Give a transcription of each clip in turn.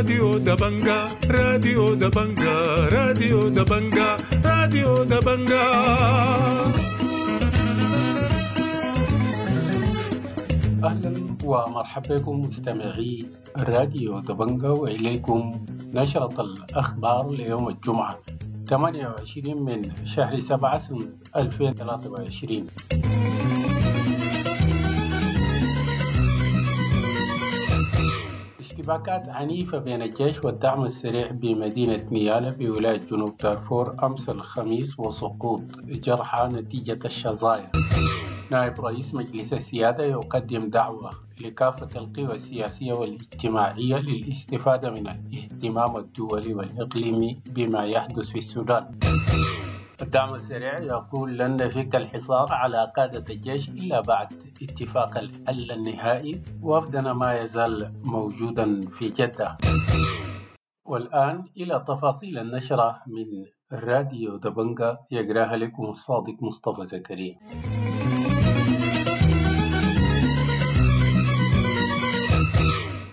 راديو دبنجا، راديو دبنجا، راديو دبنجا، راديو دبنجا. أهلا ومرحبا بكم مستمعي راديو دبنجا، وإليكم نشرة الأخبار ليوم الجمعة 28 من شهر 7 سنة 2023. اشتباكات عنيفة بين الجيش والدعم السريع بمدينة نيالا بولاية جنوب دارفور أمس الخميس، وسقوط جرحى نتيجة الشظايا. نائب رئيس مجلس السيادة يقدم دعوة لكافة القوى السياسية والاجتماعية للاستفادة من الاهتمام الدولي والإقليمي بما يحدث في السودان. الدعم السريع يقول لن نفك الحصار على قادة الجيش إلا بعد اتفاق الحل النهائي، وفدنا ما يزال موجودا في جدة. والآن إلى تفاصيل النشرة من راديو دبنجا، يقراها لكم الصادق مصطفى زكريا.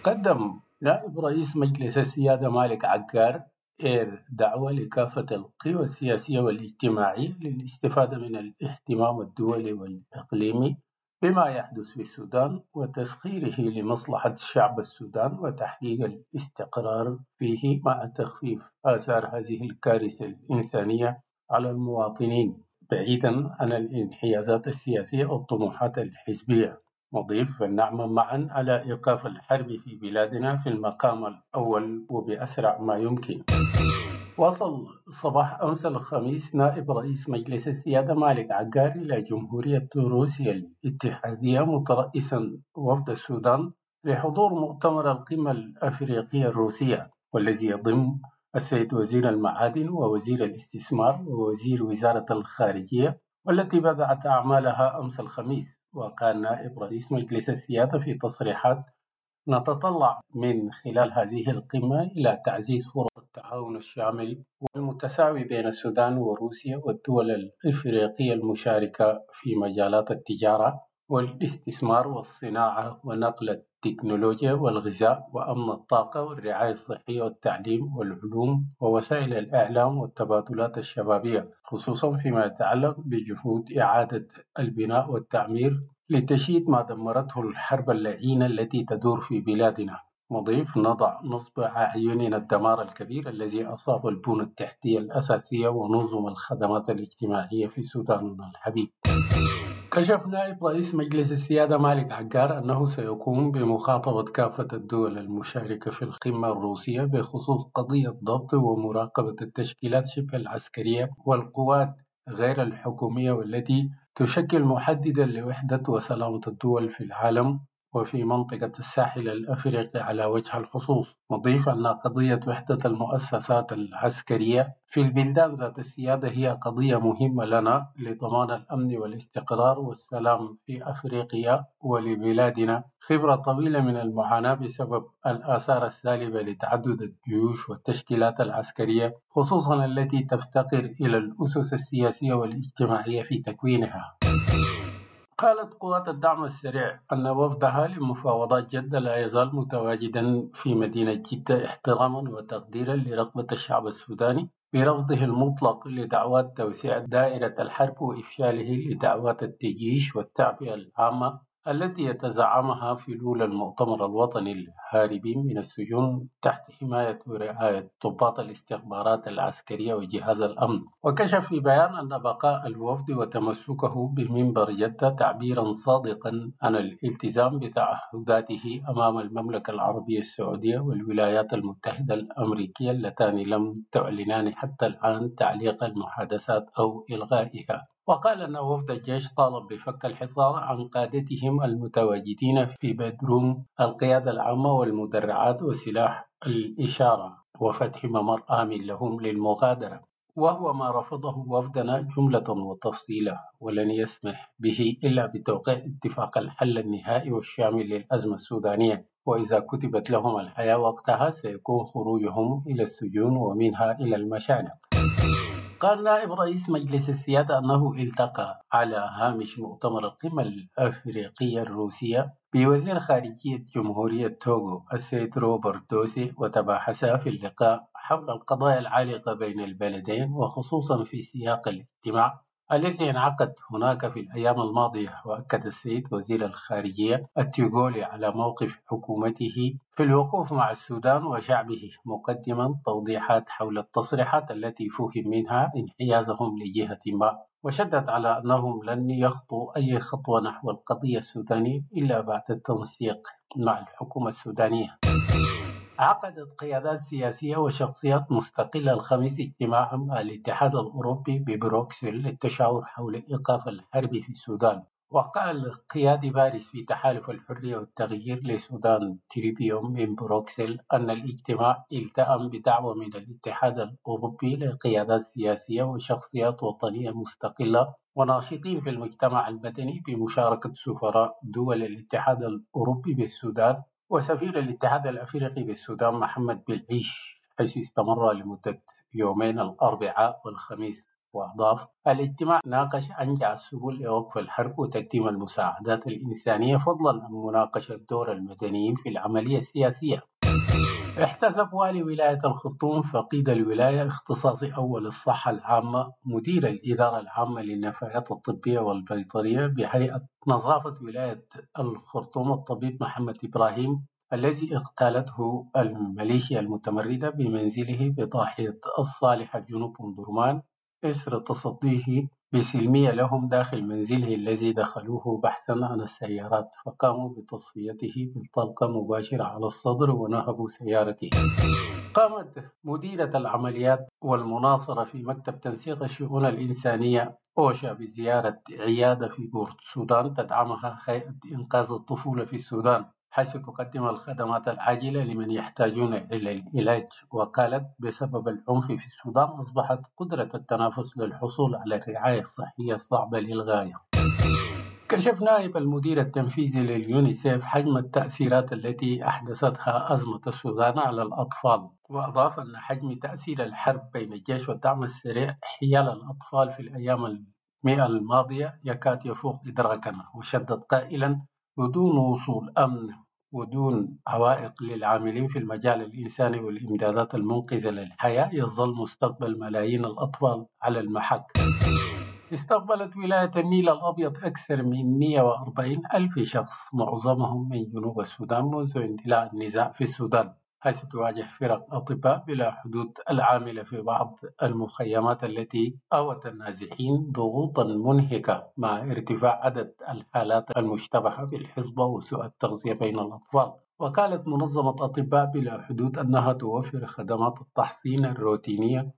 قدم نائب رئيس مجلس السيادة مالك عقار إير دعوة لكافة القوى السياسية والاجتماعية للاستفادة من الاهتمام الدولي والإقليمي بما يحدث في السودان وتسخيره لمصلحة شعب السودان وتحقيق الاستقرار فيه مع تخفيف آثار هذه الكارثة الإنسانية على المواطنين، بعيدا عن الانحيازات السياسية والطموحات الحزبية. مضيف: فلنعمل معا على إيقاف الحرب في بلادنا في المقام الأول وبأسرع ما يمكن. وصل صباح أمس الخميس نائب رئيس مجلس السيادة مالك عقار إلى جمهورية روسيا الاتحادية مترأسا وفد السودان لحضور مؤتمر القمة الأفريقية الروسية، والذي يضم السيد وزير المعادن ووزير الاستثمار ووزير وزارة الخارجية، والتي بدأت أعمالها أمس الخميس. وقال نائب رئيس مجلس السيادة في تصريحات: نتطلع من خلال هذه القمة إلى تعزيز فرص التعاون الشامل والمتساوي بين السودان وروسيا والدول الإفريقية المشاركة في مجالات التجارة والاستثمار والصناعة ونقل التكنولوجيا والغذاء وأمن الطاقة والرعاية الصحية والتعليم والعلوم ووسائل الإعلام والتبادلات الشبابية، خصوصا فيما يتعلق بجهود إعادة البناء والتعمير لتشييد ما دمرته الحرب اللعينة التي تدور في بلادنا. مضيف: نضع نصب أعيننا الدمار الكبير الذي أصاب البنى التحتية الأساسية ونظم الخدمات الاجتماعية في سوداننا الحبيب. كشف نائب رئيس مجلس السيادة مالك عقار أنه سيقوم بمخاطبة كافة الدول المشاركة في القمة الروسية بخصوص قضية ضبط ومراقبة التشكيلات شبه العسكرية والقوات غير الحكومية والتي تشكل محددا لوحدة وسلامة الدول في العالم وفي منطقة الساحل الأفريقي على وجه الخصوص. مضيف أن قضية وحدة المؤسسات العسكرية في البلدان ذات السيادة هي قضية مهمة لنا لضمان الأمن والاستقرار والسلام في أفريقيا ولبلادنا خبرة طويلة من المعاناة بسبب الآثار السالبة لتعدد الجيوش والتشكيلات العسكرية، خصوصا التي تفتقر إلى الأسس السياسية والاجتماعية في تكوينها. قالت قوات الدعم السريع أن وفدها لمفاوضات جدة لا يزال متواجدا في مدينة جدة احتراما وتقديرا لرغبة الشعب السوداني برفضه المطلق لدعوات توسيع دائرة الحرب وإفشاله لدعوات التجيش والتعبئة العامة التي يتزعمها فلول المؤتمر الوطني الهاربين من السجون تحت حماية ورعاية ضباط الاستخبارات العسكرية وجهاز الأمن. وكشف في بيان أن بقاء الوفد وتمسكه بمنبر جدة تعبيرا صادقا عن الالتزام بتعهداته أمام المملكة العربية السعودية والولايات المتحدة الأمريكية اللتان لم تعلنان حتى الآن تعليق المحادثات أو إلغائها. وقال أن وفد الجيش طالب بفك الحصار عن قادتهم المتواجدين في بدروم القيادة العامة والمدرعات وسلاح الإشارة وفتح ممر آمن لهم للمغادرة، وهو ما رفضه وفدنا جملة وتفصيلا، ولن يسمح به إلا بتوقيع اتفاق الحل النهائي والشامل للأزمة السودانية، وإذا كتبت لهم الحياة وقتها سيكون خروجهم إلى السجون ومنها إلى المشانق. قال نائب رئيس مجلس السيادة أنه التقى على هامش مؤتمر القمة الأفريقية الروسية بوزير خارجية جمهورية توغو السيد روبرت دوسي، وتباحثا في اللقاء حول القضايا العالقة بين البلدين، وخصوصا في سياق الاجتماع الذي انعقد هناك في الأيام الماضية. وأكد السيد وزير الخارجية التوغولي على موقف حكومته في الوقوف مع السودان وشعبه، مقدما توضيحات حول التصريحات التي فهم منها انحيازهم لجهة ما، وشدد على أنهم لن يخطوا أي خطوة نحو القضية السودانية إلا بعد التنسيق مع الحكومة السودانية. عقدت قيادات سياسية وشخصيات مستقلة الخميس اجتماعا مع الاتحاد الأوروبي ببروكسل للتشاور حول إيقاف الحرب في السودان. وقال قيادي بارز في تحالف الحرية والتغيير لسودان تريبيون من بروكسل أن الاجتماع التأم بدعوة من الاتحاد الأوروبي لقيادات سياسية وشخصيات وطنية مستقلة وناشطين في المجتمع المدني بمشاركة سفراء دول الاتحاد الأوروبي بالسودان وسفير الاتحاد الأفريقي بالسودان محمد بالعيش، حيث استمر لمدة يومين الأربعاء والخميس. وأضاف الاجتماع ناقش أنجع السبل لوقف الحرب وتقديم المساعدات الإنسانية، فضلا عن مناقشة دور المدنيين في العملية السياسية. احتسب والي ولاية الخرطوم فقيد الولاية اختصاصي أول الصحة العامة مدير الإدارة العامة للنفايات الطبية والبيطرية بهيئة نظافة ولاية الخرطوم الطبيب محمد إبراهيم الذي اغتالته الميليشيا المتمردة بمنزله بضاحية الصالحة جنوب أم درمان إثر تصديه بسلمية لهم داخل منزله الذي دخلوه بحثا عن السيارات، فقاموا بتصفيته بالطلقة مباشرة على الصدر ونهبوا سيارته. قامت مديرة العمليات والمناصرة في مكتب تنسيق الشؤون الإنسانية أوشا بزيارة عيادة في بورت السودان تدعمها هيئة إنقاذ الطفولة في السودان، حيث تقدم الخدمات العاجلة لمن يحتاجون إلى العلاج. وقالت بسبب العنف في السودان أصبحت قدرة التنافس للحصول على الرعاية الصحية صعبة للغاية. كشف نائب المدير التنفيذي لليونيسيف حجم التأثيرات التي أحدثتها أزمة السودان على الأطفال، وأضاف أن حجم تأثير الحرب بين الجيش والدعم السريع حيال الأطفال في الأيام 100 الماضية يكاد يفوق إدراكنا. وشدد قائلا بدون وصول أمن ودون عوائق للعاملين في المجال الإنساني والإمدادات المنقذة للحياة يظل مستقبل ملايين الأطفال على المحك. استقبلت ولاية النيل الأبيض أكثر من 140 ألف شخص معظمهم من جنوب السودان منذ اندلاع النزاع في السودان، حيث تواجه فرق أطباء بلا حدود العاملة في بعض المخيمات التي أوت النازحين ضغوطا منهكة مع ارتفاع عدد الحالات المشتبهة بالحصبة وسوء التغذية بين الأطفال. وقالت منظمة أطباء بلا حدود أنها توفر خدمات التحصين الروتينية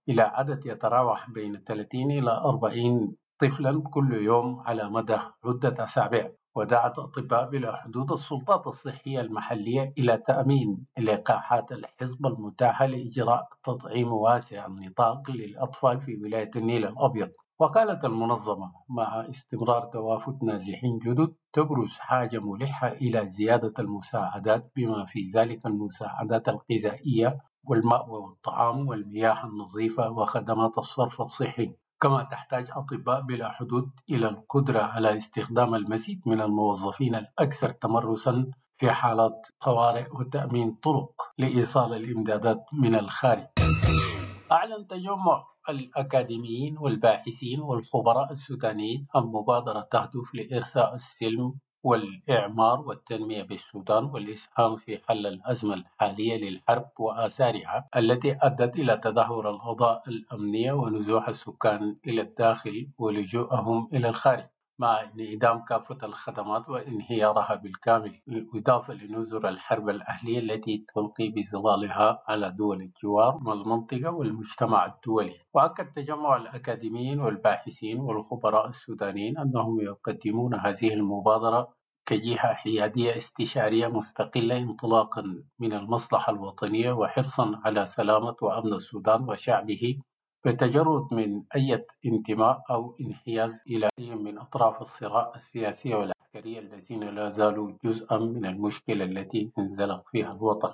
إلى عدد يتراوح بين 30 إلى 40 طفلا كل يوم على مدى عدة أسابيع. ودعت أطباء بلا حدود السلطات الصحية المحلية إلى تأمين لقاحات الحصبة المتاحة لإجراء تطعيم واسع النطاق للأطفال في ولاية النيل الأبيض. وقالت المنظمة مع استمرار توافد نازحين جدد تبرز حاجة ملحة إلى زيادة المساعدات بما في ذلك المساعدات الغذائية والمأوى والطعام والمياه النظيفة وخدمات الصرف الصحي. كما تحتاج أطباء بلا حدود إلى القدرة على استخدام المزيد من الموظفين الأكثر تمرسا في حالات طوارئ وتأمين طرق لإيصال الإمدادات من الخارج. أعلن تجمع الأكاديميين والباحثين والخبراء السودانيين عن مبادرة تهدف لإرساء السلم والإعمار والتنمية بالسودان والإسهام في حل الأزمة الحالية للحرب وآثارها التي أدت إلى تدهور الأوضاع الأمنية ونزوح السكان إلى الداخل ولجوءهم إلى الخارج، مع انعدام كافة الخدمات وانهيارها بالكامل، بالإضافة لنزر الحرب الأهلية التي تلقي بظلالها على دول الجوار والمنطقة والمجتمع الدولي. وأكد تجمع الأكاديميين والباحثين والخبراء السودانيين أنهم يقدمون هذه المبادرة كجهة حيادية استشارية مستقلة انطلاقا من المصلحة الوطنية وحرصا على سلامة وأمن السودان وشعبه، بتجرد من أي انتماء أو انحياز إلى أي من أطراف الصراع السياسية والعسكرية الذين لا زالوا جزءا من المشكلة التي انزلق فيها الوطن.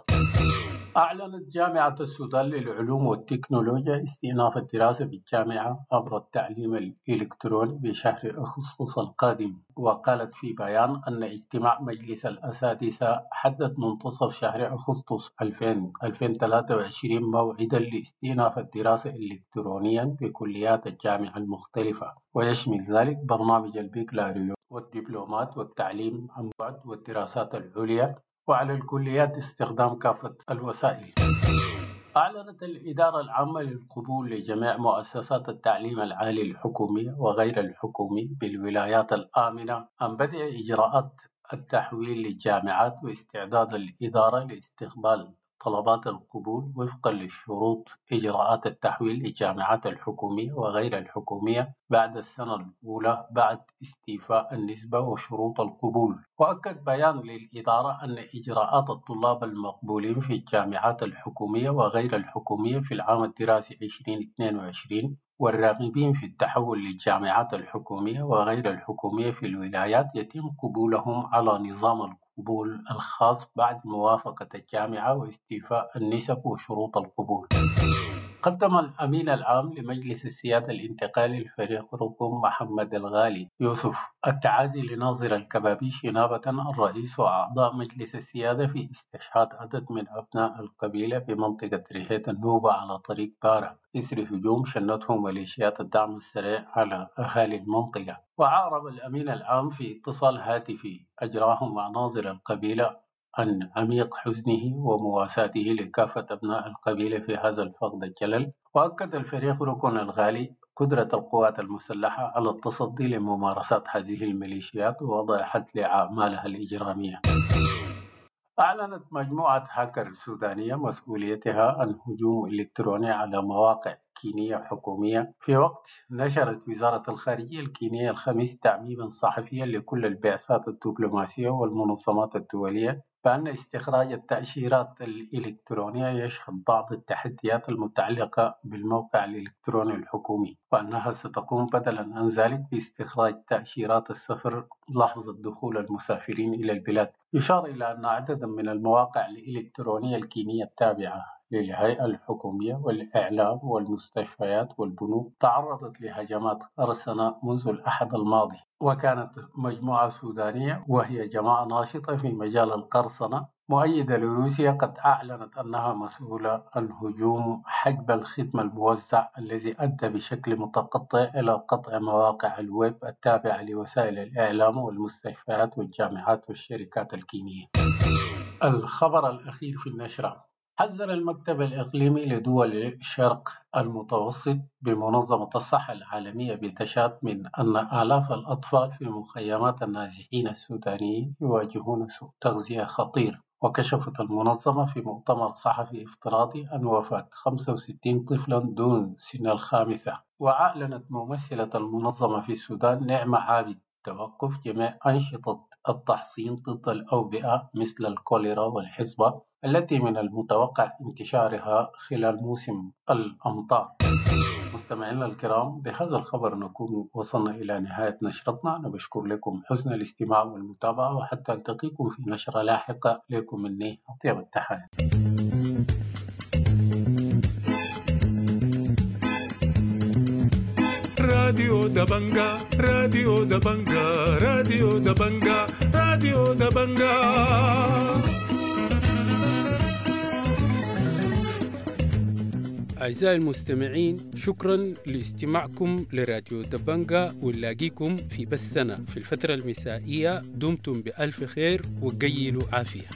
أعلنت جامعة السودان للعلوم والتكنولوجيا استئناف الدراسة بالجامعة عبر التعليم الإلكتروني بشهر أغسطس القادم. وقالت في بيان أن اجتماع مجلس الأساتذة حدد منتصف شهر أغسطس 2023 موعدا لاستئناف الدراسة إلكترونيا بكليات الجامعة المختلفة، ويشمل ذلك برنامج البكالوريوس والدبلومات والتعليم عن بعد والدراسات العليا، وعلى الكليات استخدام كافة الوسائل. أعلنت الإدارة العامة للقبول لجميع مؤسسات التعليم العالي الحكومي وغير الحكومي بالولايات الآمنة عن بدء إجراءات التحويل للجامعات واستعداد الإدارة لاستقبال طلبات القبول وفقا للشروط إجراءات التحويل للجامعات الحكومية وغير الحكومية بعد السنة الأولى بعد استيفاء النسبة وشروط القبول. وأكد بيان للإدارة أن إجراءات الطلاب المقبولين في الجامعات الحكومية وغير الحكومية في العام الدراسي 2022 والراغبين في التحول للجامعات الحكومية وغير الحكومية في الولايات يتم قبولهم على نظام القبول الخاص بعد موافقة الجامعة واستيفاء النسب وشروط القبول. قدم الأمين العام لمجلس السيادة الانتقالي الفريق ركن محمد الغالي يوسف التعازي لناظر الكبابيش نيابة عن الرئيس وأعضاء مجلس السيادة في استشهاد عدد من أبناء القبيلة بمنطقة ريهيت النوبة على طريق بارة إثر هجوم شنته ميليشيات الدعم السريع على أهالي المنطقة. وأعرب الأمين العام في اتصال هاتفي أجراه مع ناظر القبيلة عن عميق حزنه ومواساته لكافة أبناء القبيلة في هذا الفقد الجلل. وأكد الفريق ركن الغالي قدرة القوات المسلحة على التصدي لممارسات هذه الميليشيات ووضع حد لأعمالها الإجرامية. أعلنت مجموعة هاكر سودانية مسؤوليتها عن هجوم إلكتروني على مواقع كينية حكومية في وقت نشرت وزارة الخارجية الكينية الخميس تعميما صحفيا لكل البعثات الدبلوماسية والمنظمات الدولية بأن استخراج التأشيرات الإلكترونية يشهد بعض التحديات المتعلقة بالموقع الإلكتروني الحكومي، وأنها ستقوم بدلا عن ذلك باستخراج تأشيرات السفر لحظة دخول المسافرين إلى البلاد. يشار إلى أن عددا من المواقع الإلكترونية الكينية التابعة للهيئة الحكومية والإعلام والمستشفيات والبنوك تعرضت لهجمات قرصنة منذ الأحد الماضي. وكانت مجموعة سودانية وهي جماعة ناشطة في مجال القرصنة مؤيدة لروسيا قد أعلنت أنها مسؤولة عن هجوم حجب الخدمة الموزع الذي أدى بشكل متقطع إلى قطع مواقع الويب التابعة لوسائل الإعلام والمستشفيات والجامعات والشركات الكينية. الخبر الأخير في النشرة: حذر المكتب الإقليمي لدول الشرق المتوسط بمنظمة الصحة العالمية بتشاد من أن آلاف الأطفال في مخيمات النازحين السودانيين يواجهون سوء تغذية خطير. وكشفت المنظمة في مؤتمر صحفي افتراضي عن وفاة 65 طفلا دون سن 5. وأعلنت ممثلة المنظمة في السودان نعمة عابد توقف جميع أنشطة التحصين ضد الأوبئة مثل الكوليرا والحصبة التي من المتوقع انتشارها خلال موسم الأمطار. مستمعينا الكرام، بهذا الخبر نكون وصلنا إلى نهاية نشرتنا. أنا بشكر لكم حسن الاستماع والمتابعة، وحتى ألتقيكم في نشرة لاحقة. لكم مني أطيب التحايا. راديو دبنجا، راديو دبنجا، راديو دبنجا، راديو دبنجا. أعزائي المستمعين، شكرا لاستماعكم لراديو دبنجا، ونلاقيكم في بثنا في الفترة المسائية. دمتم بألف خير وقيلوا عافية.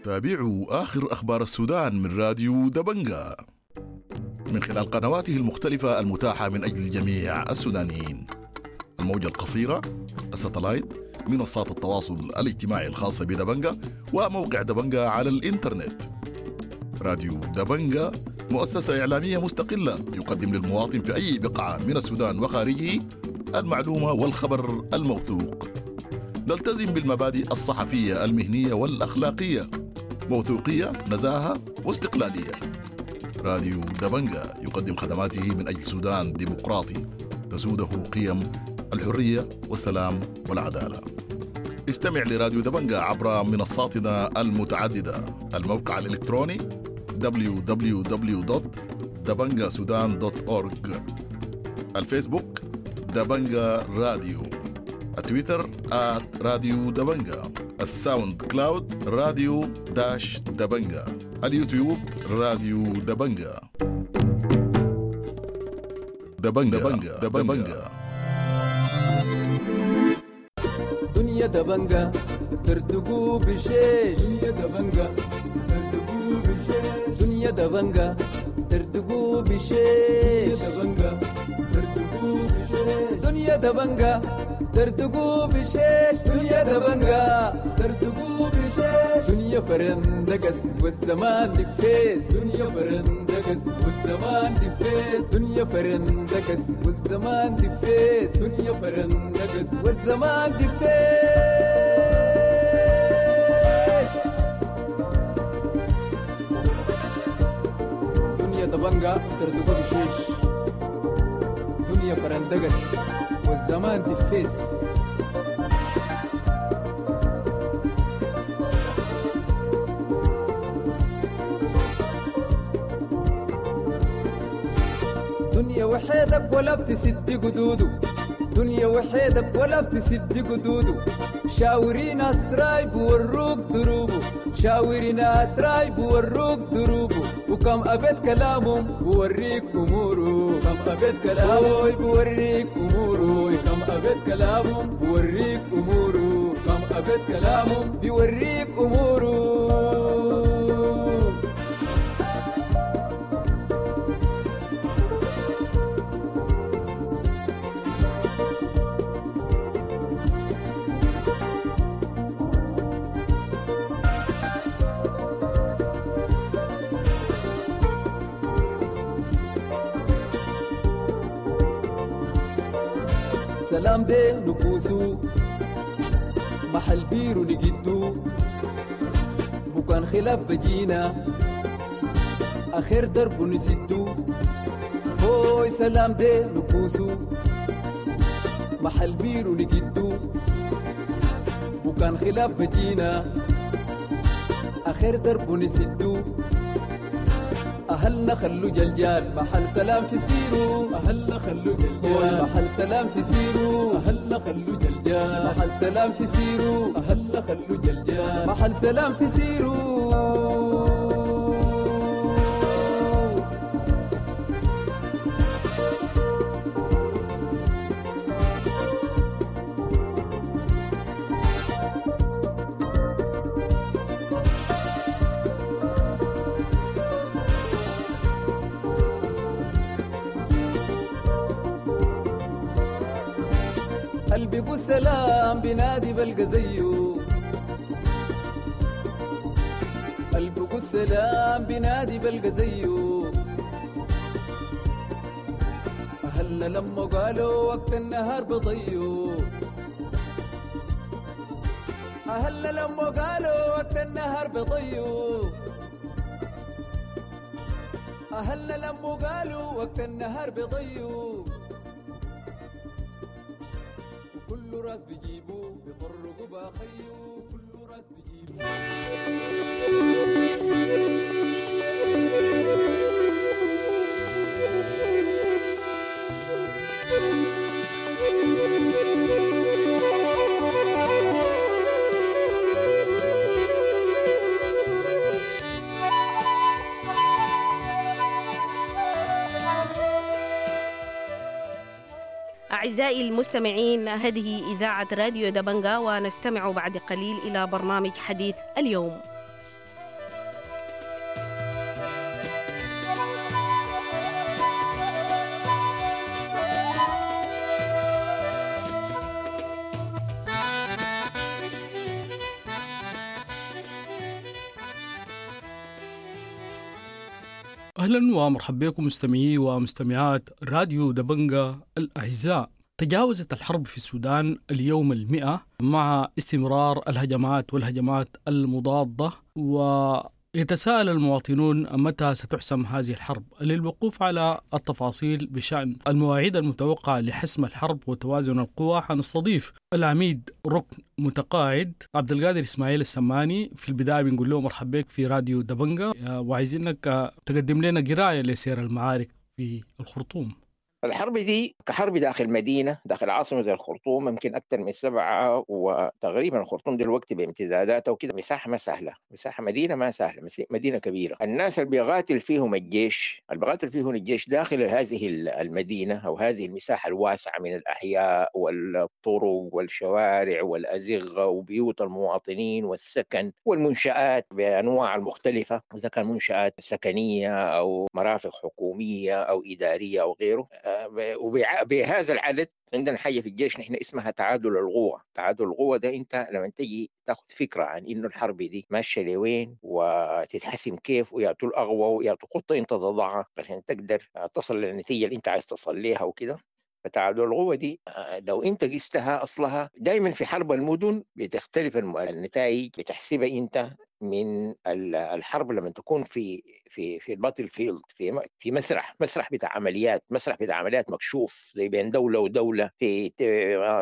تابعوا آخر أخبار السودان من راديو دبنجا من خلال قنواته المختلفة المتاحة من أجل جميع السودانيين: الموجة القصيرة، الستلايت، منصات التواصل الاجتماعي الخاصة بدبنجا، وموقع دبنجا على الإنترنت. راديو دبنجا مؤسسة إعلامية مستقلة يقدم للمواطن في أي بقعة من السودان وخارجه المعلومة والخبر الموثوق. نلتزم بالمبادئ الصحفية المهنية والأخلاقية، موثوقية، نزاهة واستقلالية. راديو دبنجا يقدم خدماته من أجل سودان ديمقراطي تسوده قيم الحرية والسلام والعدالة. استمع لراديو دبنجا عبر منصاتنا المتعددة: الموقع الإلكتروني www.dabangasudan.org، الفيسبوك دبنجا راديو، التويتر @راديو دبنجا، الساوند كلاود راديو dash دبنجا، اليوتيوب راديو دبنجا. دبنجا دبنجا دبنجا. دنيا دبنجا تردقوا بشيش، دنيا دبنجا تردقوا بشيش، دنيا دبنجا تردقوا بشيش، دبنجا تردقوا بشيش، دنيا دبنجا تردقوا بشيش، دنيا دبنجا تردقوا بشيش، دنيا فرندقس والزمان دفيس، دنيا فرندقس والزمان دفيس، دنيا فرندقس والزمان دفيس، دنيا فرندقس والزمان دفيس. دنيا دبنجا تردقوا بشيش، دنيا فرندقس والزمان دفيس. دنيا وحيدك ولا بتسد قدوده، دنيا وحيدك ولا بتسد قدوده، شاوري ناس رايب وروك دروبه، شاوري ناس رايب وروك دروبه، وكم أبيت كلامهم بوريك أموره، كم أبيت كلامه بوريك أموره، كم أبيت كلامهم بوريك أموره، كم أبيت كلامهم بيوريك أموره. سلام دي نكوسو محل بيرو نجدو، بكان خلاف بجينا آخر درب نسدو، هوي سلام دي نكوسو محل بيرو نجدو، بكان خلاف بجينا آخر درب نسدو، أهلنا خلو جلجال محل سلام في سيرو، أهلنا خلو جلجال محل سلام في سيرو، أهلنا خلو جلجال محل سلام في سيرو، أهلنا خلو جلجال محل سلام في سيرو. قلبي سلام بنادي بلقى زيه، قلبي سلام بنادي بلقى زيه، أهلنا لما قالوا وقت النهار بضيو، أهلنا لما قالوا وقت النهار بضيو، أهلنا لما قالوا وقت النهار بضيو، كل راس بيجيبو بيطرقوا باخيو، كل راس بيجيبو. أعزائي المستمعين، هذه إذاعة راديو دبنجا، ونستمع بعد قليل إلى برنامج حديث اليوم. أهلا ومرحبا بكم مستمعي ومستمعات راديو دبنجا الأعزاء. تجاوزت الحرب في السودان اليوم 100 مع استمرار الهجمات والهجمات المضادة يتساءل المواطنون متى ستحسم هذه الحرب؟ للوقوف على التفاصيل بشأن المواعيد المتوقعة لحسم الحرب وتوازن القوى حنستضيف العميد ركن متقاعد عبد القادر إسماعيل السماني. في البداية بنقول له مرحبا بك في راديو دبنجة، وعايزينك تقدم لنا قراية لسير المعارك في الخرطوم. الحرب دي كحرب داخل مدينة، داخل عاصمة زي الخرطوم، ممكن أكثر من 7، وتقريبا الخرطوم دلوقتي بامتداداتها وكده مساحة ما سهلة، مساحة مدينة ما سهلة، مدينة كبيرة. الناس اللي بيقاتل فيهم الجيش، اللي بيقاتل فيهم الجيش داخل هذه المدينة أو هذه المساحة الواسعة من الأحياء والطرق والشوارع والأزغة وبيوت المواطنين والسكن والمنشآت بأنواع المختلفة، إذا كان منشآت سكنية أو مرافق حكومية أو إدارية أو غيره. وبهذا العدد عندنا حاجة في الجيش نحن اسمها تعادل القوة. تعادل القوة ده انت لما تجي تاخذ فكرة عن انه الحرب دي ماشية لوين وتتحسم كيف، ويعطوا الأقوى ويعطوا خطة انت تضعها عشان تقدر تصل للنتيجة اللي انت عايز تصل ليها وكده. فتعادل القوة دي لو انت قستها اصلها دايما في حرب المدن بتختلف النتائج، بتحسبها انت من الحرب لما تكون في في في ال battlefield، في مسرح بتاع عمليات، مسرح بتاع عمليات مكشوف زي بين دولة ودولة، في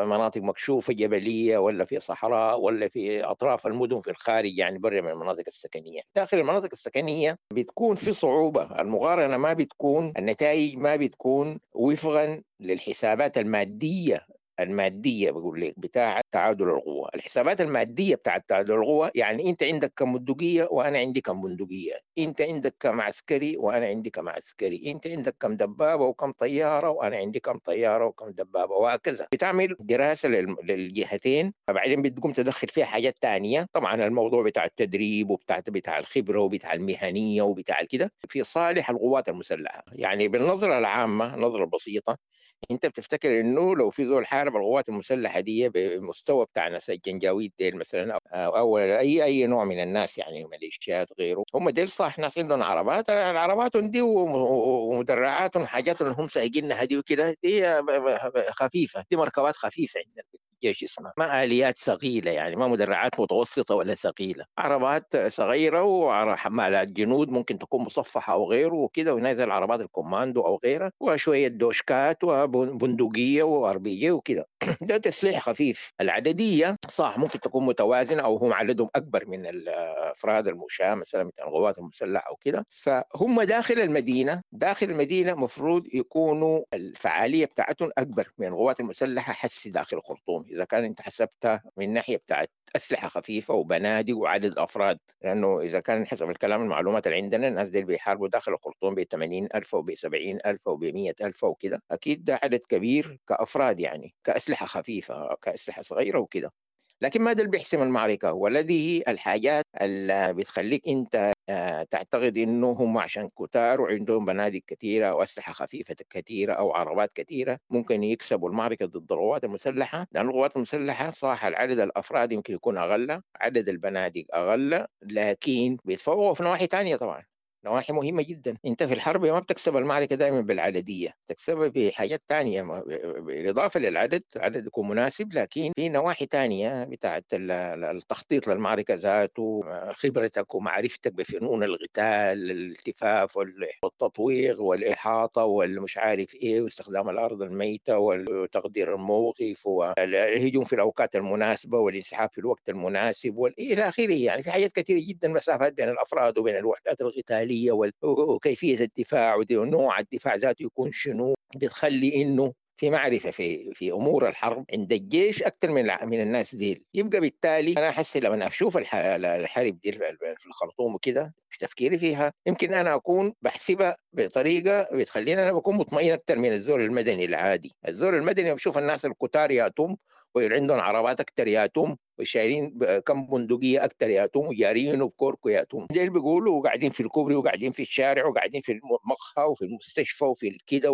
مناطق مكشوفة جبلية ولا في صحراء ولا في أطراف المدن في الخارج، يعني برا من المناطق السكنية. داخل المناطق السكنية بتكون في صعوبة، المقارنة ما بتكون، النتائج ما بتكون وفقا للحسابات المادية بقول لك بتاع تعادل القوة. الحسابات المادية بتاع تعادل القوة يعني انت عندك كم بندقية وانا عندي كم بندقية، انت عندك كم عسكري وانا عندي كم عسكري، انت عندك كم دبابة وكم طيارة وانا عندي كم طيارة وكم دبابة، وهكذا. بتعمل دراسة للجهتين، فبعدين بتقوم تدخل فيها حاجات تانية، طبعا الموضوع بتاع التدريب وبتاع الخبرة وبتاع المهنية وبتاع كده في صالح القوات المسلحة. يعني بالنظرة العامة، النظرة البسيطة، انت بتفتكر انه لو في زول حارب القوات المسلحة دي بمستوى بتاع ناس الجنجاويد ديل مثلا او اي نوع من الناس، يعني ميليشيات غيره، هم ديل صح ناس عندهم عربات، العربات دي ومدرعات وحاجات هم سايقينها دي وكده، دي خفيفة، دي مركبات خفيفة عندنا الجيش اسمها، ما آليات ثقيلة، يعني ما مدرعات متوسطه ولا ثقيلة، عربات صغيرة وحمالات جنود ممكن تكون مصفحة او غيره وكده، ونازل عربات الكوماندو او غيره، وشوية دوشكات وبندقيه و RPG وكده. ده تسليح خفيف. العدديه صح ممكن تكون متوازنة او هم عددهم اكبر من الافراد المشاة مثلا من القوات المسلحة او كده، فهم داخل المدينة، داخل المدينة مفروض يكونوا الفعالية بتاعتهم اكبر من القوات المسلحة حسي داخل الخرطوم، اذا كان انت حسبتها من ناحية بتاعت اسلحة خفيفة وبنادق وعدد افراد، لانه اذا كان حسب الكلام المعلومات اللي عندنا الناس دي بيحاربوا داخل الخرطوم ب 80,000 وب 70,000 وب 100,000 وكده، اكيد ده عدد كبير كافراد، يعني كاسلحه خفيفة كاسلحه صغيرة وكده. لكن ما ده اللي بيحسم المعركة، والذي الحاجات اللي بتخليك انت تعتقد انه هم عشان كتار وعندهم بنادق كثيرة واسلحه خفيفة كثيرة او عربات كثيرة ممكن يكسبوا المعركة ضد القوات المسلحة، لان القوات المسلحة صح العدد الافراد يمكن يكون اقل، عدد البنادق اقل، لكن بيتفوقوا في نواحي ثانية طبعا، نواحي مهمة جدا. انت في الحرب ما بتكسب المعركة دائما بالعددية، تكسبها بحاجات تانية بالإضافة للعدد، العدد يكون مناسب، لكن في نواحي تانية بتاعت التخطيط للمعركة ذاته، خبرتك ومعرفتك بفنون القتال، الالتفاف والتطويق والإحاطة والمش عارف ايه، واستخدام الأرض الميتة وتقدير الموقف والهجوم في الأوقات المناسبة والانسحاب في الوقت المناسب والى آخره. يعني في حاجات كثيرة جدا، مسافات بين الأفراد وبين الوحدات القتالية وكيفية الدفاع ونوع الدفاع ذاته يكون شنو، بتخلي إنه في معرفة في أمور الحرب عند الجيش أكثر من الناس ديل. يبقى بالتالي أنا أحس لما أشوف الحرب دي في الخرطوم وكده، في تفكيري فيها يمكن أنا أكون بحسبها بطريقة بتخليني أنا بكون مطمئن أكثر من الزول المدني العادي. الزول المدني بشوف الناس الكتار ياتم وعندهم عربات أكثر ياتم وشايلين كم بندقية أكثر ياتم وجاريين وبكوركو ياتم، ديل بيقولوا وقاعدين في الكوبري وقاعدين في الشارع وقاعدين في المقهى وفي المستشفى وفي كده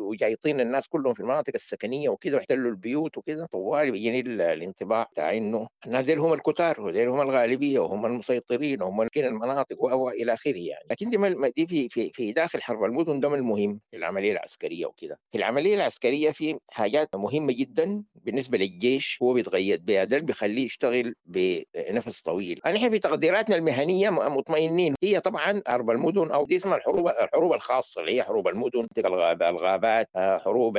وجايطين الناس كلهم في المناطق السكنية وكده واحتلوا البيوت وكده. طوال بيجيني الانطباع بتاع إنه الناس ديل هم الكتار وديل هم الغالبية وهم المسيطرين وهم المناطق والى اخره يعني. لكن دي في في في داخل حرب المدن ده المهم في العملية العسكرية وكده. في العملية العسكرية في حاجات مهمة جدا بالنسبة للجيش هو بيتغيد بها، ده بيخليه يشتغل بنفس طويل. نحن في تقديراتنا المهنية مطمئنين. هي طبعا حرب المدن او دي اسمها الحروب الخاصة اللي هي حروب المدن، الغابات، الحروب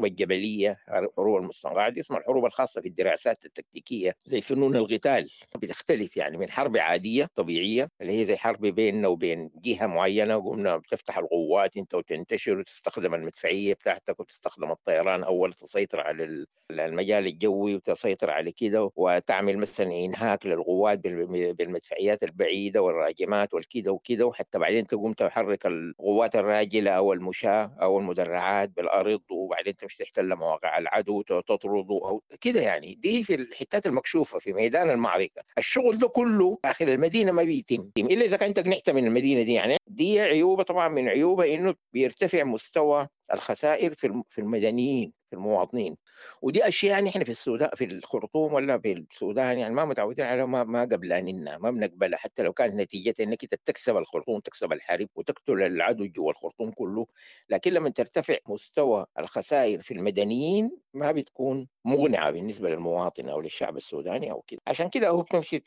الجبلية، حروب المستنقعات، دي اسمها الحروب الخاصة في الدراسات التكتيكيه زي فنون القتال. بتختلف يعني من حرب عادية طبيعية اللي هي زي حرب بيننا وبين جهة معينة، قمنا بتفتح القوات انت وتنتشر وتستخدم المدفعية بتاعتك وتستخدم الطيران اول تسيطر على المجال الجوي وتسيطر على كده، وتعمل مثلا انهاك للقوات بالمدفعيات البعيدة والراجمات والكده وكده، وحتى بعدين تقوم تحرك القوات الراجله او المشاة او المدرعات بالارض، وبعدين تمشي تحتل مواقع العدو تطرده او كده. يعني دي في الحتات المكشوفه في ميدان المعركة. الشغل ده كله داخل المدينة ما بيتم الا اذا كنت قنعت من المدينة دي. يعني دي عيوبه، طبعا من عيوبه انه بيرتفع مستوى الخسائر في المدنيين، في المواطنين، ودي اشياء نحن في السودان في الخرطوم ولا في السودان يعني ما متعودين عليها، ما قبلانينها، ما بنقبلها، حتى لو كانت نتيجتها انك انت بتكسب الخرطوم، تكسب الحرب وتقتل العدو جوا الخرطوم كله، لكن لما ترتفع مستوى الخسائر في المدنيين ما بتكون مقنعة بالنسبة للمواطن او للشعب السوداني او كده. عشان كده هو بتمشي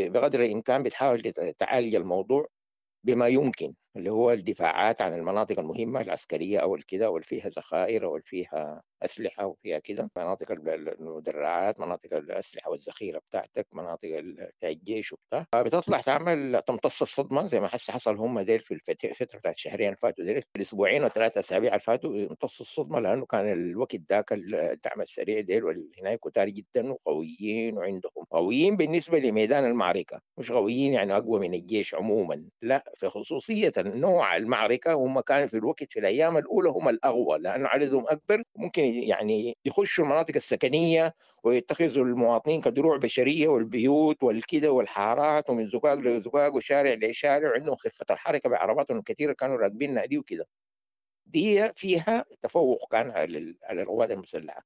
بقدر الامكان بتحاول تعالج الموضوع بما يمكن، اللي هو الدفاعات عن المناطق المهمة العسكرية أو الكده، أو اللي فيها ذخائر أو اللي فيها أسلحة وفيها كده، مناطق المدرعات، مناطق الأسلحة والذخيرة بتاعتك، مناطق الجيش وبتاع. بتطلع تعمل تمتص الصدمة زي ما حس حصل هم ديل في الفترة بتاعت الشهرين اللي فاتوا ديل، الأسبوعين وثلاثة أسابيع اللي فاتوا امتصوا الصدمة، لأنه كان الوقت ذاك الدعم السريع ديل والهناك كتار جدا وقويين، وعندهم قويين بالنسبة لميدان المعركة، مش قويين يعني أقوى من الجيش عموما، لا، في خصوصية نوع المعركة هم كانوا في الوقت في الأيام الأولى هم الأقوى، لأنه عددهم أكبر، ممكن يعني يخشوا المناطق السكنية ويتخذوا المواطنين كدروع بشرية والبيوت والكده والحارات، ومن زقاق لزقاق وشارع لشارع، وعندهم خفة الحركة بعرباتهم الكثيرة كانوا راكبينها دي وكده. دي فيها تفوق كان على القوات المسلحة.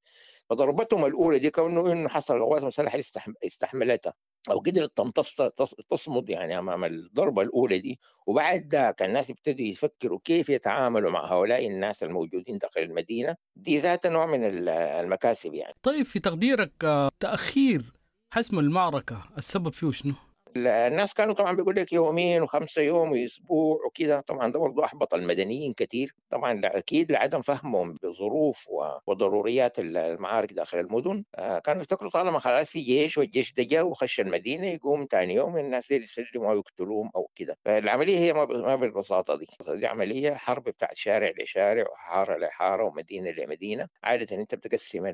فضربتهم الأولى دي كونه إنه حصل القوات المسلحة استحملتها أو قدرت تمتص تصمد يعني أمام الضربة الأولى دي. وبعد ذاك الناس ابتدوا يفكروا كيف يتعاملوا مع هؤلاء الناس الموجودين داخل المدينة دي، ذات نوع من المكاسب يعني. طيب في تقديرك تأخير حسم المعركة السبب فيه شنو؟ الناس كانوا طبعا بيقول لك يومين وخمسة يوم واسبوع وكذا، طبعا ده برضه احبط المدنيين كثير، طبعا اكيد لعدم فهمهم بظروف وضروريات المعارك داخل المدن. كانوا يفتكروا طالما خلاص في جيش والجيش ده جاء وخش المدينة يقوم ثاني يوم الناس دي يسلموا او يقتلوهم او كذا. فالعملية هي ما بالبساطة دي، دي عملية حرب بتاعت شارع لشارع وحاره لحاره ومدينة لمدينة. عادة انت بتقسم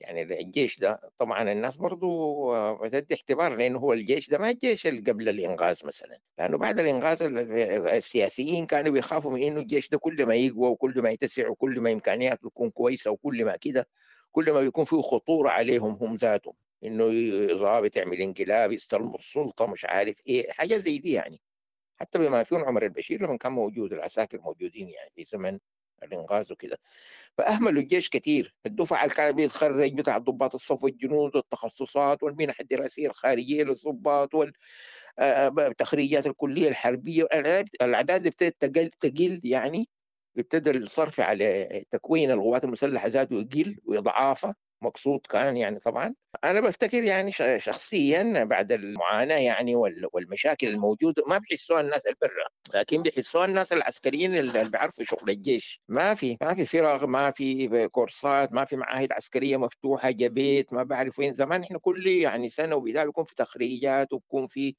يعني الجيش ده، طبعا الناس برضه بتدي اعتبار لانه هو الجيش ده ما الجيش اللي قبل الإنغاز مثلا، لأنه بعد الإنغاز السياسيين كانوا بيخافوا من إنه الجيش ده كل ما يقوى وكل ما يتسع وكل ما إمكانياته تكون كويسة وكل ما كده، كل ما بيكون فيه خطورة عليهم هم ذاتهم، إنه ضابط يعمل انقلاب يستلموا السلطة مش عارف إيه، حاجة زي دي يعني. حتى بما فيهم عمر البشير لما كان موجود العساكر موجودين يعني في زمن الإنغاز وكده، فأهملوا الجيش كثير. الدفعة اللي كان بيتخرج بتاع ضباط الصف والجنود والتخصصات والمنح الدراسية الخارجية للضباط والتخريجات الكلية الحربية، الأعداد ابتدت تقل يعني، ابتدى الصرف على تكوين القوات المسلحة ذاته يقل ويضعافه، مقصود كان يعني. طبعا انا بفتكر يعني شخصيا بعد المعاناة يعني والمشاكل الموجودة ما بيحسوها الناس البرة، لكن بيحسوها الناس العسكريين اللي بيعرفوا شغل الجيش. ما في فرق، ما في كورسات، ما في معاهد عسكرية مفتوحة جبيت ما بعرف وين. زمان احنا كل يعني سنة وبتاع بيكون في تخريجات وبيكون في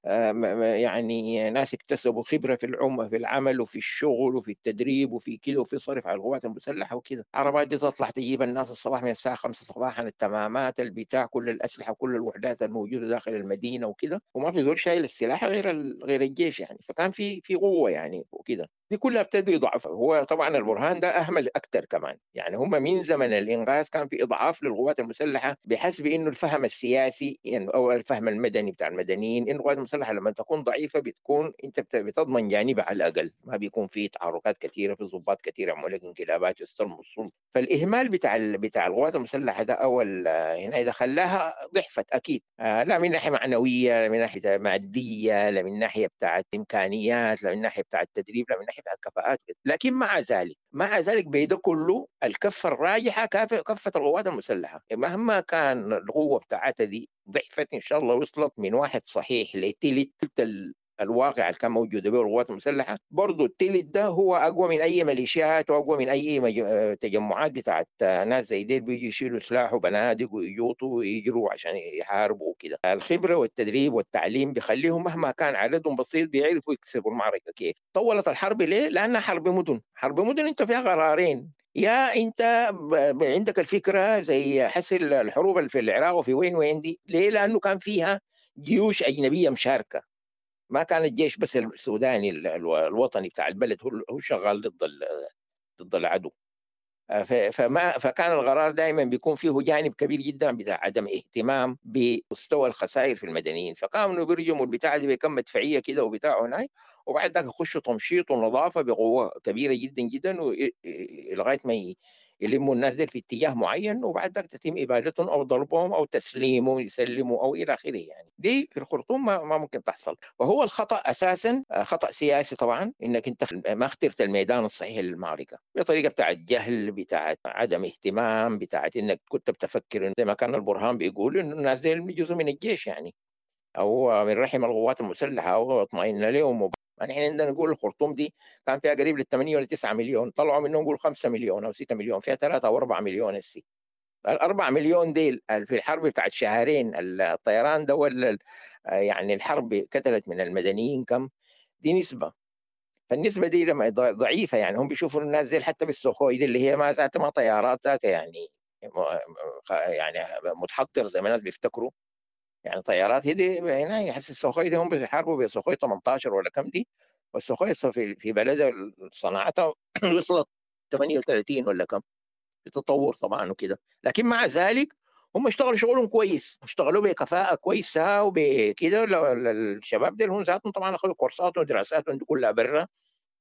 يعني ناس اكتسبوا خبره في في العمل وفي الشغل وفي التدريب وفي كده وفي صرف على القوات المسلحة وكده. عربات دي تطلع تجيب الناس الصباح من الساعة 5 صباحا، التمامات البتاع، كل الأسلحة وكل الوحدات الموجودة داخل المدينة وكده، وما في زول شايل السلاح غير الجيش يعني. فكان في قوة يعني وكده، دي كلها ابتدوا يضعفوا. هو طبعا البرهان ده أهمل أكثر كمان يعني، هم من زمن الإنغاز كان في إضعاف للقوات المسلحة بحسب إنه الفهم السياسي يعني أو الفهم المدني بتاع المدنيين إنه القوات المسلحة لما تكون ضعيفة بتكون أنت بتضمن جانبها على الأقل، ما بيكون في تحركات كثيرة، في ضباط كثيرة يعملوا لك انقلابات يستلموا السلطة. فالإهمال بتاع القوات المسلحة ده أول هنا إذا خلاها ضعفت أكيد، لا من ناحية معنوية، لا من ناحية مادية، لا من ناحية بتاعت إمكانيات، لا من ناحية بتاعت تدريب، لا من ناحية ناحية بتاعت كفاءات. لكن مع ذلك بيده كله الكفة الراجحة كفه القوات المسلحة، مهما كان القوة بتاعتها دي ضعفت ان شاء الله وصلت من واحد صحيح لتلت الواقع اللي كان موجود به القوات المسلحة، برضه التلت ده هو اقوى من اي ميليشيات واقوى من اي تجمعات بتاعت ناس زي ديل بيجوا يشيلوا سلاح وبنادق ويجوطوا ويجروا عشان يحاربوا وكده. الخبرة والتدريب والتعليم بيخليهم مهما كان عددهم بسيط بيعرفوا يكسبوا المعركة كيف. طولت الحرب ليه؟ لانها حرب مدن، حرب مدن انت فيها قرارين، يا انت عندك الفكرة زي حس الحروب في العراق وفي وين دي، ليه؟ لانه كان فيها جيوش اجنبية مشاركة، ما كان الجيش بس السوداني الوطني بتاع البلد هو شغال ضد العدو. فكان القرار دائما بيكون فيه جانب كبير جدا بتاع عدم اهتمام بمستوى الخسائر في المدنيين، فكانوا بيرجموا البتاع دي بكم مدفعيه كده وبتاع هناك، وبعد ذاك يخشوا تمشيط ونظافه بقوة كبيرة جدا جدا لغاية ما يلموا الناس دي في اتجاه معين، وبعد ذاك تتم ابادتهم او ضربهم او تسليمهم يسلموا او الى اخره. يعني دي في الخرطوم ما ممكن تحصل. وهو الخطا اساسا خطا سياسي طبعا، انك انت ما اخترت الميدان الصحيح للمعركة بطريقة بتاعت جهل، بتاعت عدم اهتمام، بتاعت انك كنت بتفكر زي ما كان البرهان بيقول انه الناس دي جزء من الجيش يعني، او من رحم القوات المسلحة او اطمئن لهم. يعني احنا عندنا نقول الخرطوم دي كان فيها قريب لل 8 ولا 9 مليون، طلعوا منهم نقول 5 مليون او 6 مليون، فيها 3 او 4 مليون. السي ال4 مليون ديل في الحرب بتاعت شهرين الطيران ده ولا يعني الحرب قتلت من المدنيين كم؟ دي نسبه، فالنسبه دي لما ضعيفة يعني هم بيشوفوا الناس دي حتى بالسخوي دي اللي هي ما ذاتها ما طيارات ذاتها يعني متحضر زي ما الناس بيفتكروا يعني طيارات هي دي هنا يحس السخوي دي هم بيحاربوا بسخوي 18 ولا كم دي، والسخوي في بلدها صناعتها وصلت 38 ولا كم، بتطور طبعا وكده. لكن مع ذلك هم اشتغلوا شغلهم كويس، اشتغلوا بكفاءة كويسة وبكده. الشباب دول هم ذاتهم طبعا اخذوا كورسات ودراساتهم كلها برا،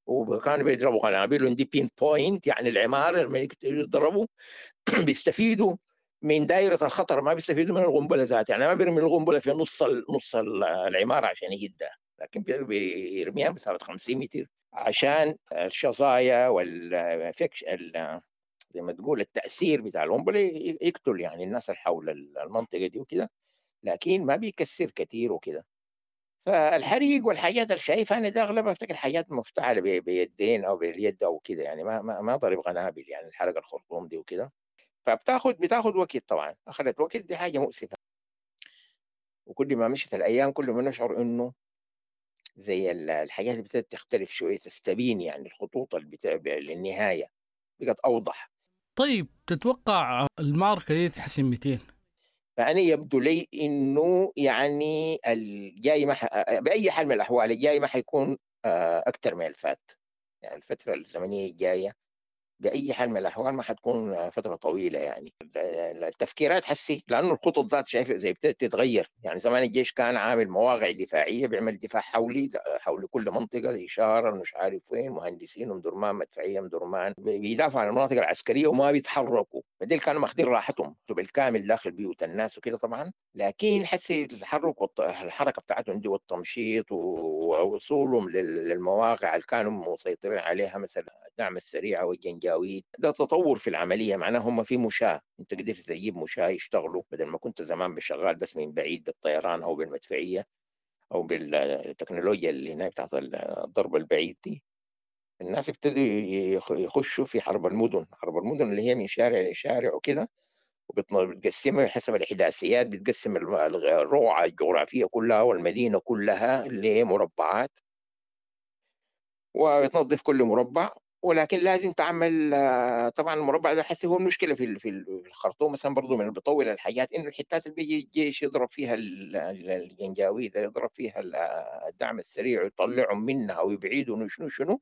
وكانوا بيضربوا قنابل دي pinpoint يعني العمارة لما يضربوا بيستفيدوا من دائرة الخطر، ما بيستفيدوا من القنبلة ذاتها، يعني ما بيرمي القنبلة في نص العمارة عشان يهدها، لكن بيرميها مسافة 50 متر عشان الشظايا والفكش زي ما تقول التأثير بتاع القنبلة يقتل يعني الناس اللي حول المنطقة دي وكده، لكن ما بيكسر كثير وكده. فالحريق والحاجات اللي شايفها انا ده اغلبها افتكر حاجات مفتعله بيدين او باليد او كده، يعني ما ضرب قنابل يعني الحرق الخرطوم دي وكده. فبتاخد وقت طبعا، اخذت وقت، دي حاجة مؤسفة. وكل ما مشت الايام كل ما نشعر انه زي الحاجات اللي بدأت تختلف شوية، تستبين يعني الخطوط اللي للنهاية بقت اوضح. طيب تتوقع المعركة دي تحسم 200؟ فأنا يبدو لي إنه يعني الجاي ما بأي حال من الأحوال الجاي ما حيكون أكثر من الفات، يعني الفترة الزمنية الجاية بأي حال من الأحوال ما حتكون فترة طويلة. يعني التفكيرات حسي، لأنه الخطط ذات شايف زي ابتدت تتغير. يعني زمان الجيش كان عامل مواقع دفاعية، بيعمل دفاع حولي حول كل منطقة، الإشارة مش عارف وين، مهندسين ومدرمان مدفعية مدرمان بيدافعوا عن المناطق العسكرية وما بيتحركوا، فديل كانوا ماخذين راحتهم بالكامل داخل بيوت الناس وكده طبعا. لكن حسي التحرك والحركة بتاعتهم دي والتمشيط ووصولهم للمواقع اللي كانوا مسيطرين عليها مثلا الدعم السريع والجنجاويد، ده تطور في العملية. معناه هم في مشاة، انت قدرت تجيب مشاة يشتغلوا بدل ما كنت زمان بشغال بس من بعيد بالطيران او بالمدفعية او بالتكنولوجيا اللي هناك بتاعت الضرب البعيد دي. الناس ابتدوا يخشوا في حرب المدن، حرب المدن اللي هي من شارع لشارع وكده، وبتقسمها حسب الإحداثيات، بتقسم الرقعة الجغرافية كلها والمدينة كلها لمربعات، وبتنظف كل مربع. ولكن لازم تعمل طبعا المربع ده حسي هو المشكلة في الخرطوم مثلا برضه من اللي بيطول الحاجات، انه الحتات اللي بيجي الجيش يضرب فيها الجنجاويد، يضرب فيها الدعم السريع ويطلعهم منها ويبعدهم وشنو شنو،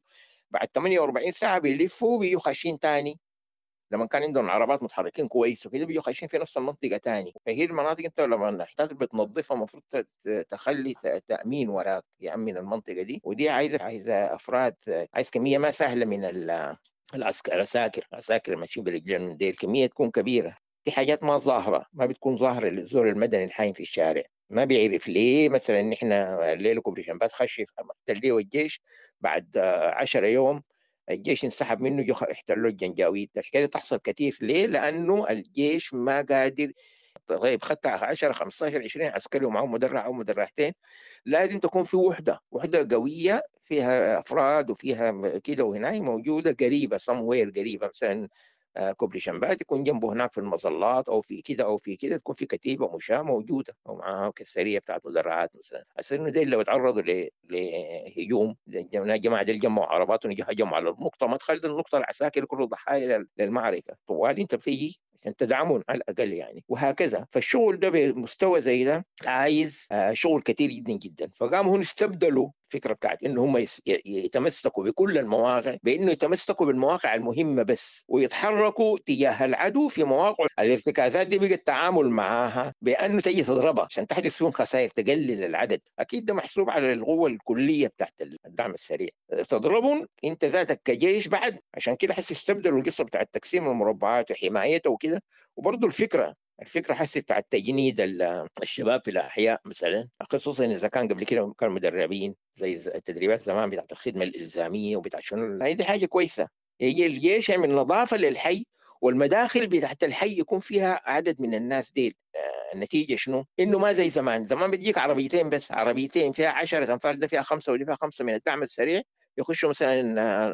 بعد 48 ساعة بيلفوا بيجوا خاشين تاني. لما كان عندهم عربات متحركين كويس وكده بيجوا خاشين في نفس المنطقة تاني. فهي المناطق انت لما الحتات بتنظفها المفروض تخلي تامين وراك يامن المنطقة دي، ودي عايزه افراد، عايز كمية ما سهلة من العساكر، عساكر ماشيين برجلين دي الكمية تكون كبيرة. في حاجات ما ظاهرة، ما بتكون ظاهرة للزول المدني الحايم في الشارع، ما بيعرف ليه مثلا نحن الليلة كوبري شمبات خش احتلوه الجيش، بعد 10 يوم الجيش انسحب منه، جو احتلوه الجنجاويد. الحكاية تحصل كثير. ليه؟ لأنه الجيش ما قادر. طيب خدت 10 15 20 عسكري ومعهم مدرع أو مدرعتين، لازم تكون في وحدة قوية فيها أفراد وفيها كده، وهنا موجودة قريبة somewhere قريبة، مثلا كوبري شمبات يكون جنبه هناك في المظلات أو في كده أو في كده، تكون في كتيبة مشاة موجودة أو معاها كثرية بتاعت مدرعات مثلا. عشان إنه ديل لو تعرضوا لهجوم، جماعة ديل جمعوا عربات وهجموا على النقطة، ما تخلي النقطة العساكر كله ضحايا للمعركة، طوال أنت بتيجي عشان تدعمهم على الأقل يعني، وهكذا. فالشغل ده بمستوى زي ده عايز شغل كثير جدا جدا. فقاموا هنا استبدلوا الفكرة بتاعت إنه هم يتمسكوا بكل المواقع بإنه يتمسكوا بالمواقع المهمة بس، ويتحركوا تجاه العدو في مواقع الارتكازات دي. بقى التعامل معاها بأنه تجي تضربها عشان تحدث فيهم خسائر، تقلل العدد. أكيد ده محسوب على القوة الكلية بتاعت الدعم السريع، تضربهم أنت ذاتك كجيش بعد. عشان كده حس استبدلوا القصة بتاعت تقسيم المربعات وحمايتها وكده. وبرضه الفكرة حسي بتاع تجنيد الشباب في الأحياء مثلا، خصوصا إذا كان قبل كده كانوا مدربين زي التدريبات زمان بتاعت الخدمة الإلزامية وبتاع شنو، هذه حاجة كويسة. يجي الجيش يعمل نظافة للحي، والمداخل بتاعت الحي يكون فيها عدد من الناس ديل. النتيجة شنو؟ إنه ما زي زمان، زمان بتجيك عربيتين بس، عربيتين فيها 10 أنفار، ده فيها 5 ودي فيها 5 من الدعم السريع، يخشوا مثلا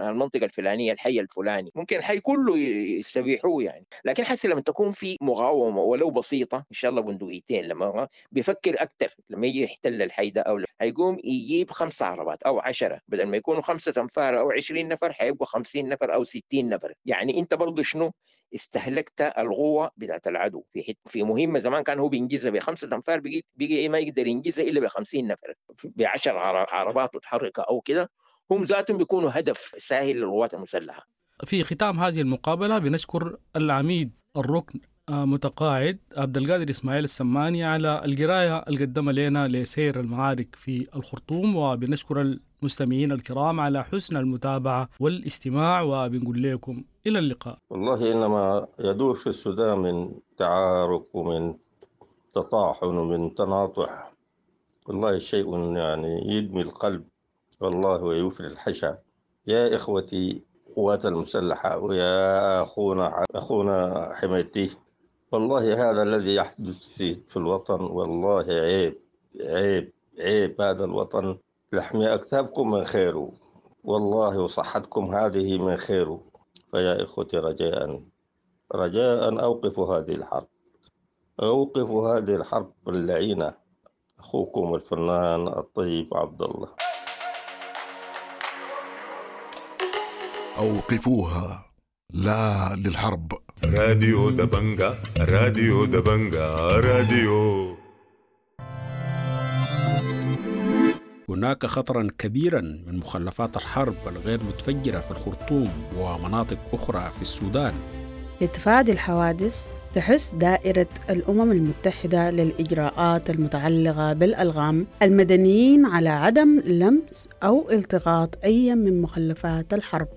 المنطقة الفلانية، الحي الفلاني، ممكن الحي كله يستبيحوه يعني. لكن حتى لما تكون في مقاومة ولو بسيطة، إن شاء الله بندقيتين، لما بيفكر أكثر لما يجي يحتل الحي ده، أو هيقوم يجيب 5 عربات أو 10، بدل ما يكونوا 5 أنفار أو 20 نفر حيبقوا 50 نفر أو 60 نفر. يعني أنت برضو شنو استهلكت القوة بتاعت العدو في مهمة زمان كان هو بينجزها ب5 أنفار، بقي ما يقدر ينجزها إلا ب50 نفر، ب10 عربات متحركة أو كده، هم ذاتهم بيكونوا هدف سهل للقوات المسلحة. في ختام هذه المقابلة بنشكر العميد الركن متقاعد عبد القادر إسماعيل السماني على القراية اللي قدمها لنا لسير المعارك في الخرطوم، وبنشكر المستمعين الكرام على حسن المتابعة والاستماع، وبنقول لكم إلى اللقاء. والله إنما يدور في السودان من تعارك ومن تطاحن ومن تناطح، والله شيء يعني يدمي القلب والله ويوفر الحشا. يا إخوتي قوات المسلحة ويا أخونا حميتي، والله هذا الذي يحدث في الوطن والله عيب عيب عيب. هذا الوطن لحم أكتافكم من خيره والله، وصحتكم هذه من خيره. فيا إخوتي رجاء رجاء أوقفوا هذه الحرب، أوقفوا هذه الحرب اللعينة. أخوكم الفنان الطيب عبد الله. أوقفوها، لا للحرب. راديو دبنجا، راديو دبنجا، راديو. هناك خطرا كبيرا من مخلفات الحرب الغير متفجرة في الخرطوم ومناطق أخرى في السودان. لتفادي الحوادث تحث دائرة الأمم المتحدة للإجراءات المتعلقة بالألغام المدنيين على عدم لمس أو التقاط أي من مخلفات الحرب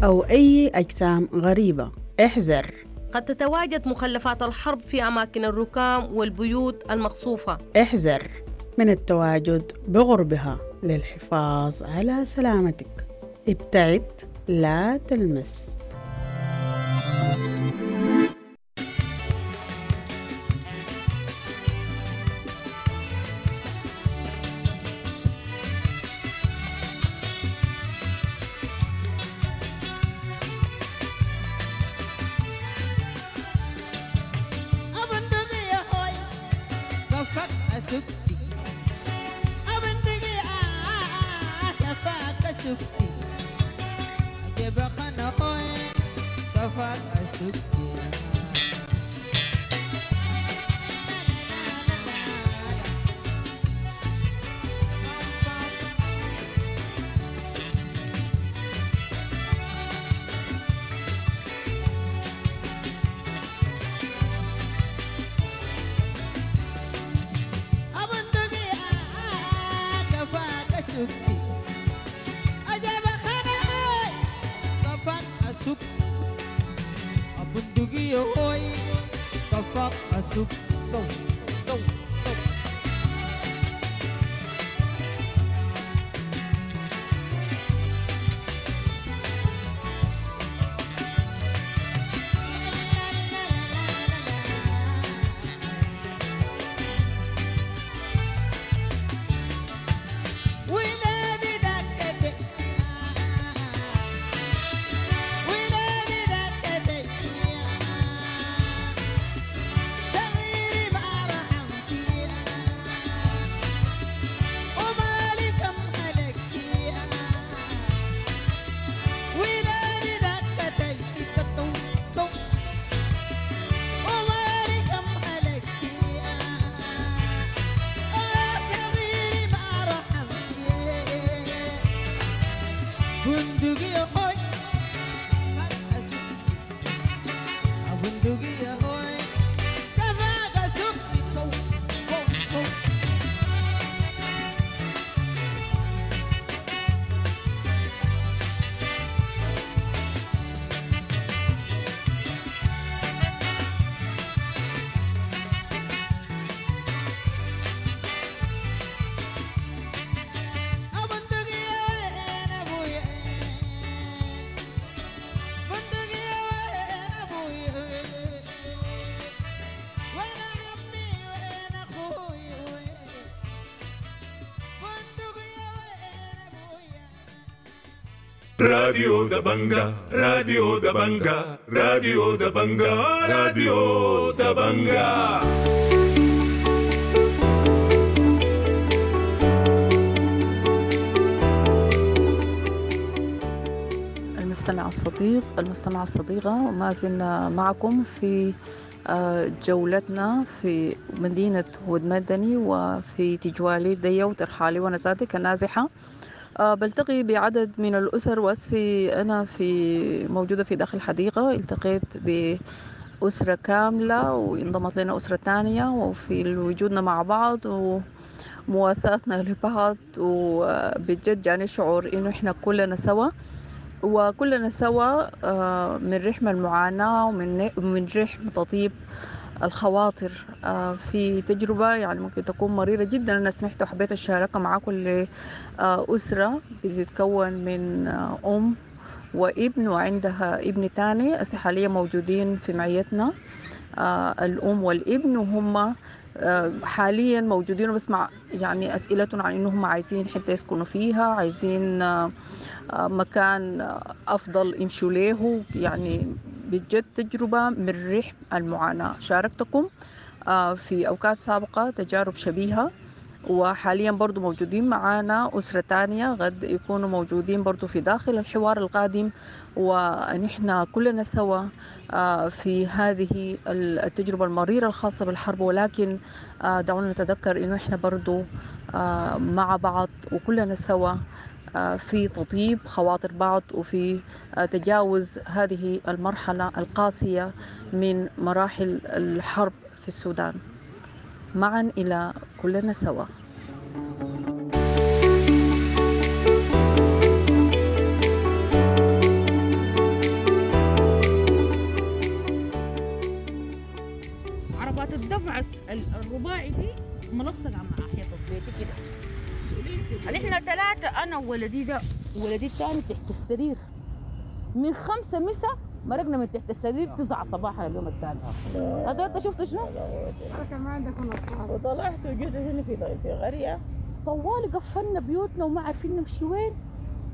أو أي أجسام غريبة. احذر، قد تتواجد مخلفات الحرب في أماكن الركام والبيوت المقصوفة. احذر من التواجد بغربها للحفاظ على سلامتك. ابتعد، لا تلمس. بندقية هوي كفاك أسوق ضو ضو ضو. ولادي دكتي ولادي دكتي صغيري ما رحمتي ومالي كم هلكتي ولادي دكتي تو تو ومالي كم هلكتي صغيري ما رحمتي بندقية هوي بندقية هوي كفاك سكتي كو كو كو. بندقية وين أبويا بندقية وين أبويا وين عمي وين أخوي وين بندقية وين أبويا. راديو دبنجا، راديو دبنجا، راديو دبنجا، راديو دبنجا. المستمع الصديق، المستمعة الصديقة، وما زلنا معكم في جولتنا في مدينة ود مدني وفي تجوالي دية وترحالي ونزاتي كنازحة. بلتقي بعدد من الأسر، وأسي أنا في موجودة في داخل حديقة التقيت بأسرة كاملة وانضمت لنا أسرة تانية، وفي وجودنا مع بعض ومواساتنا لبعض، وبجد يعني شعور إنه إحنا كلنا سوا، وكلنا سوا من رحم المعاناة ومن رحم تطيب الخواطر في تجربة يعني ممكن تكون مريرة جدا. أنا سمعت وحبيت أشاركها معاكم لأسرة بتتكون من أم وابن وعندها ابن تاني. هسه حاليا موجودين في معيتنا الأم والابن، وهم حاليا موجودين وبسمع يعني أسئلتهم عن إنهم عايزين حتة يسكنوا فيها، عايزين مكان أفضل يمشوا له. يعني بجد تجربة من رحم المعاناة. شاركتكم في أوقات سابقة تجارب شبيهة، وحاليا برضو موجودين معانا أسرة تانية غد يكونوا موجودين برضو في داخل الحوار القادم، ونحن كلنا سوا في هذه التجربة المريرة الخاصة بالحرب. ولكن دعونا نتذكر إنه إحنا برضو مع بعض وكلنا سوا في تطيب خواطر بعض وفي تجاوز هذه المرحلة القاسية من مراحل الحرب في السودان. معا إلى كلنا سوا. عربات الدفع الرباعي دي ملصقة مع حيطة بيتي كده. احنا ثلاثة، أنا وولدي ده وولدي الثاني تحت السرير من 5 مسا، مرقنا من تحت السرير 9 صباحا اليوم الثاني. هذا انت شفت شنو؟ كمان عندكم أطفال. وطلعت وجيت هنا في قرية طوال قفلنا بيوتنا وما عارفين نمشي وين.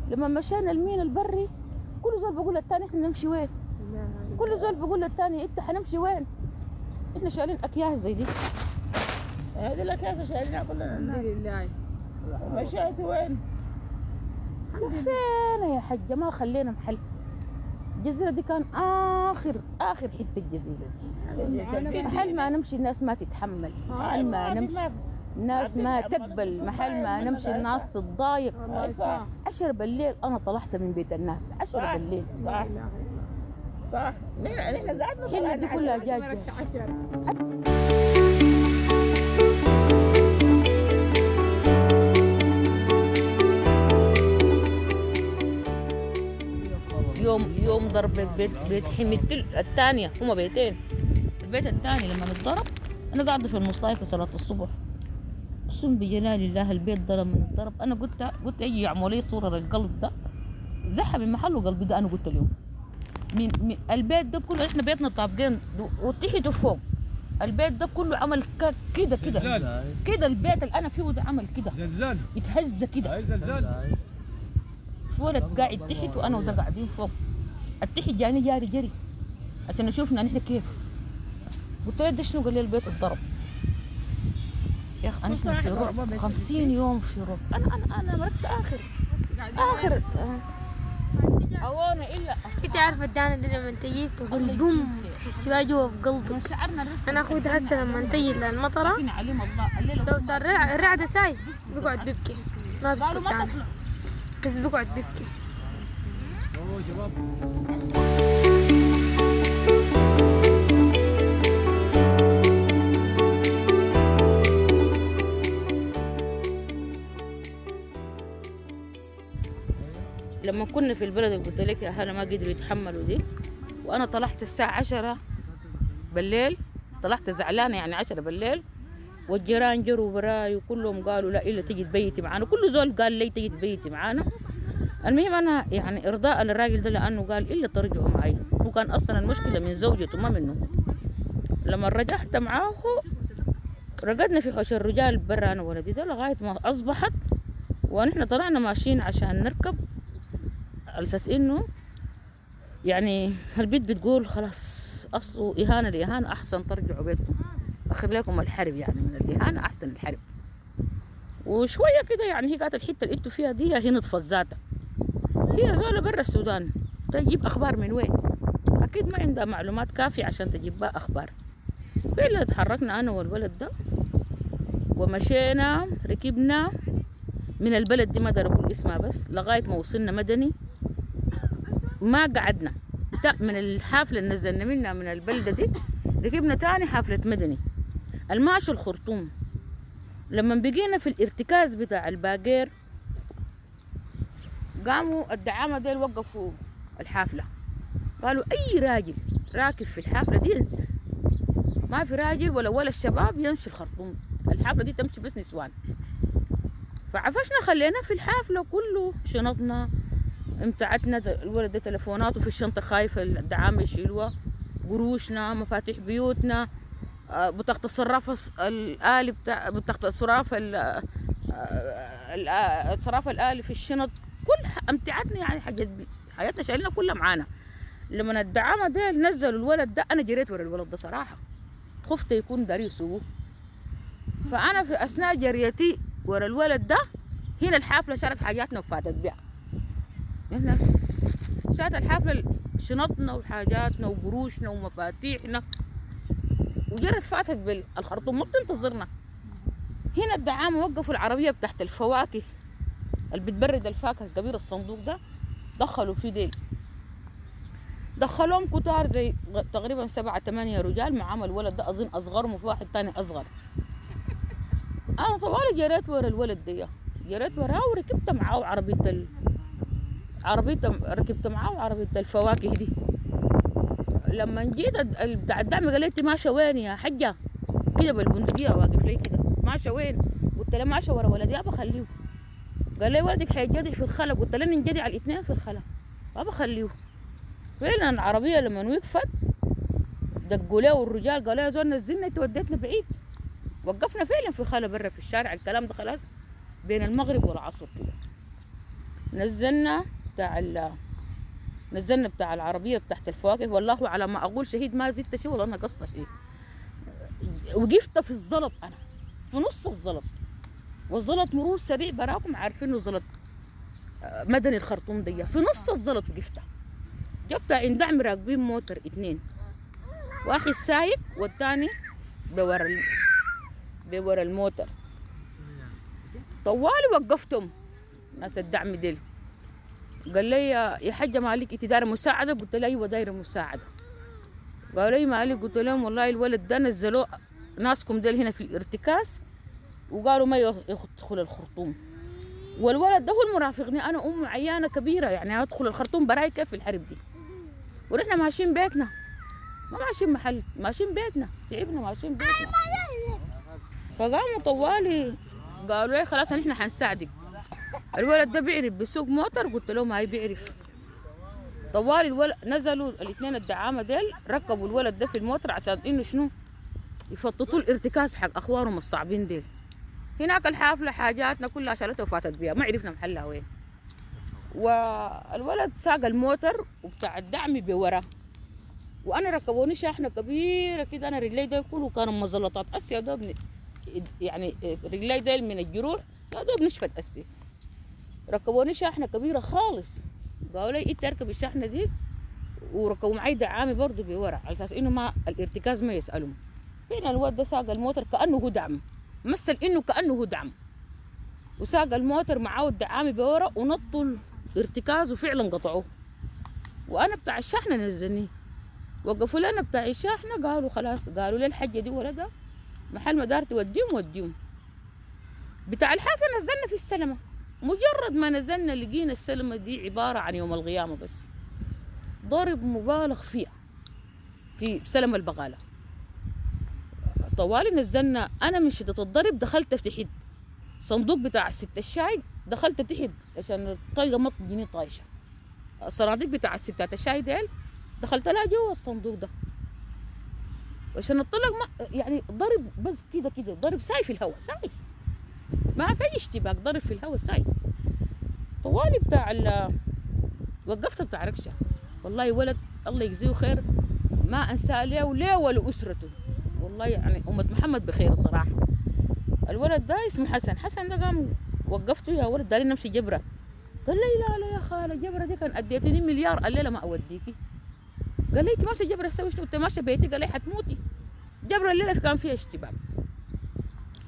لما مشينا المين البري كل زول بيقول للثاني احنا نمشي وين؟ كل زول بيقول للثاني انت حنمشي وين؟ احنا شايلين اكياس زي دي. هذه الاكياس شايلينها كلنا الحمد لله. مشيت وين؟ لفينا يا حجة ما خلينا محل. الجزيرة دي كان آخر آخر حتة الجزيرة دي. محل ما نمشي الناس ما تتحمل، محل ما نمشي الناس ما تقبل، محل ما نمشي الناس تتضايق. 10 بالليل أنا طلعت من بيت الناس 10 بالليل. صح صح. نحن زعلنا الحلة دي كلها جاجة. يوم ضرب بيت حميدتي الثانية، هما بيتين، البيت الثاني لما اتضرب أنا قاعدة في المصلاية في صلاة الصبح، أقسم بجلال الله البيت ده لما اتضرب أنا قلت يجي يعملوا لي صورة للقلب ده زحى من محله قلبي ده. أنا قلت اليوم من البيت ده كله، إحنا بيتنا طابقين وتحت وفوق، البيت ده كله عمل كده كده كده، البيت اللي أنا فيه ده عمل كده زلزال، يتهز كده زلزال. في ولد قاعد تحت وأنا وده قاعدين فوق، التحت جاني جاري جري عشان يشوفنا نحن كيف. قلت له ده شنو؟ قال لي البيت اتضرب. يا اخي انا في رعب 50 يوم في رعب. انا انا انا مرقت اخر اخر اوانا الا انت عارفه الدانه دي لما تجي تقول بوم تحسي بها جوا في قلبك. انا اخوي ده هسه لما تجي للمطره لو صار الرعدة ساي بيقعد بيبكي، ما بيسكت تاني، بس بيقعد بيبكي. لما كنا في البلد اللي قلت لك يا هلا ما قدروا يتحملوا دي، وانا طلعت الساعة 10 بالليل، طلعت زعلانة يعني 10 بالليل، والجيران جروا وراي وكلهم قالوا لا الا تجي تبيتي معانا، كل زول قال لي تجي تبيتي معانا. المهم انا يعني ارضاء للراجل ده لانه قال الا ترجعوا معي، هو كان اصلا المشكلة من زوجته ما منه. لما رجعت معاه رقدنا في حوش الرجال برا انا ولدي ده لغاية ما اصبحت، ونحن طلعنا ماشيين عشان نركب على اساس انه يعني البيت بتقول خلاص اصله اهانه لاهانه احسن ترجعوا بيتكم، اخر لكم الحرب يعني، من الاهانة احسن الحرب. وشوية كده يعني هي قالت الحتة اللي انتوا فيها دي هي نطفت ذاتها، هي زوله برا السودان تجيب اخبار من وين؟ اكيد ما عندها معلومات كافيه عشان تجيب بها اخبار. فعلا تحركنا انا والولد ده ومشينا، ركبنا من البلد دي ما اقدر اقول اسمها بس لغاية ما وصلنا مدني. ما قعدنا من الحافلة اللي نزلنا منها من البلدة دي، ركبنا تاني حافلة مدني الماشي الخرطوم. لما بقينا في الارتكاز بتاع الباقير قاموا الدعامه ديل وقفوا الحافلة، قالوا اي راجل راكب في الحافلة دي ينزل، ما في راجل ولا الشباب يمشي الخرطوم، الحافلة دي تمشي بس نسوان. فعفشنا خلينا في الحافلة كله شنطنا امتعتنا، الولد ده تلفوناته في الشنطة خايفة الدعامه يشيلوها، قروشنا، مفاتيح بيوتنا، بطاقة الصراف الآلي بتاع بطاقة الصراف الصراف الآلي في الشنط، كل امتعتنا يعني حاجات حياتنا شايلنا كلها معانا. لما الدعامه ده نزلوا الولد ده انا جريت ورا الولد ده صراحة، خفت يكون داري يسوقه. فانا في اثناء جريتي ورا الولد ده هنا الحافلة شالت حاجاتنا وفاتت بيها. الناس شالت الحافلة شنطنا وحاجاتنا وقروشنا ومفاتيحنا وجرت فاتت بالخرطوم، ما بتنتظرنا. هنا الدعامه وقفوا العربية بتاعت الفواكه اللي بتبرد الفاكهة الكبير الصندوق ده، دخلوا فيه ديل، دخلوهم كتار زي تقريبا 7 8 رجال معاهم الولد ده اظن اصغرهم وفي واحد تاني اصغر. انا طوالي جريت ورا الولد ده، جريت وراه وركبت معاه عربية عربية، ركبت معاه عربية الفواكه دي. لما جيت بتاع الدعم قال لي انت ماشية وين يا حجه؟ كده بالبندقيه واقف لي كده، ماشية وين؟ قلت له ماشية ورا ولدي ابى اخليه. قال لي ولدك حينجدع في الخلا، قلت له ننجدع الاثنين في الخلا ابى اخليه. فعلا العربية لما وقفت دقوا له الرجال قالوا يا زول نزلنا انت وديتنا بعيد. وقفنا فعلا في خلا برا في الشارع، الكلام ده خلاص بين المغرب والعصر كده. نزلنا بتاع العربية بتاعت الفواكه، والله على ما اقول شهيد ما زدت شيء ولا نقصت شيء. وقفت في الزلط انا في نص الزلط، والزلط مرور سريع براكم عارفين انه زلط مدني الخرطوم دي، في نص الزلط وقفت. جبت عند دعم راكبين موتر 2، واحد سايق والثاني بورا الموتر. طوالي وقفتهم ناس الدعم ديل. قال لي يا حجه مالك انت دايرة مساعدة؟ قلت له ايوه دايرة مساعدة. قالوا لي مالك؟ قلت لهم والله الولد ده نزلوه ناسكم ديل هنا في الارتكاز وقالوا ما يدخل الخرطوم. والولد ده هو المرافقني، انا امه عيانه كبيرة، يعني ادخل الخرطوم براي كيف في الحرب دي؟ ونحن ماشيين بيتنا، ما ماشيين محل، ماشيين بيتنا، تعبنا ماشيين بيتنا. فقاموا طوالي قالوا لي خلاص نحن حنساعدك. الولد ده بيعرف بيسوق موتر؟ قلت له ما بيعرف. طوالي الولد نزلوا الاثنين الدعامه ديل، ركبوا الولد ده في الموتر عشان انه شنو؟ يفططوا الارتكاز حق اخوانهم الصعبين ديل. هناك الحافلة حاجاتنا كلها شالتها وفاتت بيها، ما عرفنا محلها وين. والولد ساق الموتر وبتاع الدعم بورا، وانا ركبوني شاحنة كبيرة كده، انا رجلي ديل كله كانوا مزلطات اسيا دوب، يعني رجلي ديل من الجروح يا دوب نشفت اسي. ركبوني شاحنة كبيرة خالص، قالوا لي انت اركب الشاحنة دي، وركبوا معي دعامي برضه بورا على اساس انه ما الارتكاز ما يسالهم. فعلا الولد ده ساق الموتر كانه هو دعم، مثل انه كانه هو دعم، وساق الموتر معاه الدعامي بورا ونطوا الارتكاز وفعلا قطعوه. وانا بتاع الشحنة نزلني، وقفوا لنا بتاع الشحنة قالوا خلاص، قالوا لي الحجة دي ولدها محل ما دار توديهم وديهم. بتاع الحافلة نزلنا في السلمه، مجرد ما نزلنا لقينا السلمه دي عبارة عن يوم القيامة، بس ضرب مبالغ فيها في سلمة البغاله. طوالي نزلنا، انا من شده الضرب دخلت تحت صندوق بتاع ست الشاي، دخلت تحت عشان الطلقة ما تجيني طايشه. الصناديق بتاع الستات الشاي ديل دخلت لها جوا الصندوق ده عشان الطلق ما يعني ضرب بس كده كده، ضرب ساي في الهواء ساي، ما في اي اشتباك، ضرب في الهواء ساي. طوالي بتاع وقفت بتاع ركشه، والله ولد الله يجزيه خير ما انسى ليه وليه ولا اسرته، والله يعني أمة محمد بخير صراحة. الولد ده اسمه حسن، حسن ده قام وقفته يا ولد دارين نمشي جبرة، قال لي لا لا يا خالة جبرة دي كان أديتني مليار، قال لي لا ما أوديكي. قال لي أنت ماشية جبرة تسوي شنو؟ أنت ماشية بيتي؟ قال لي حتموتي. جبرة الليلة كان فيها اشتباك.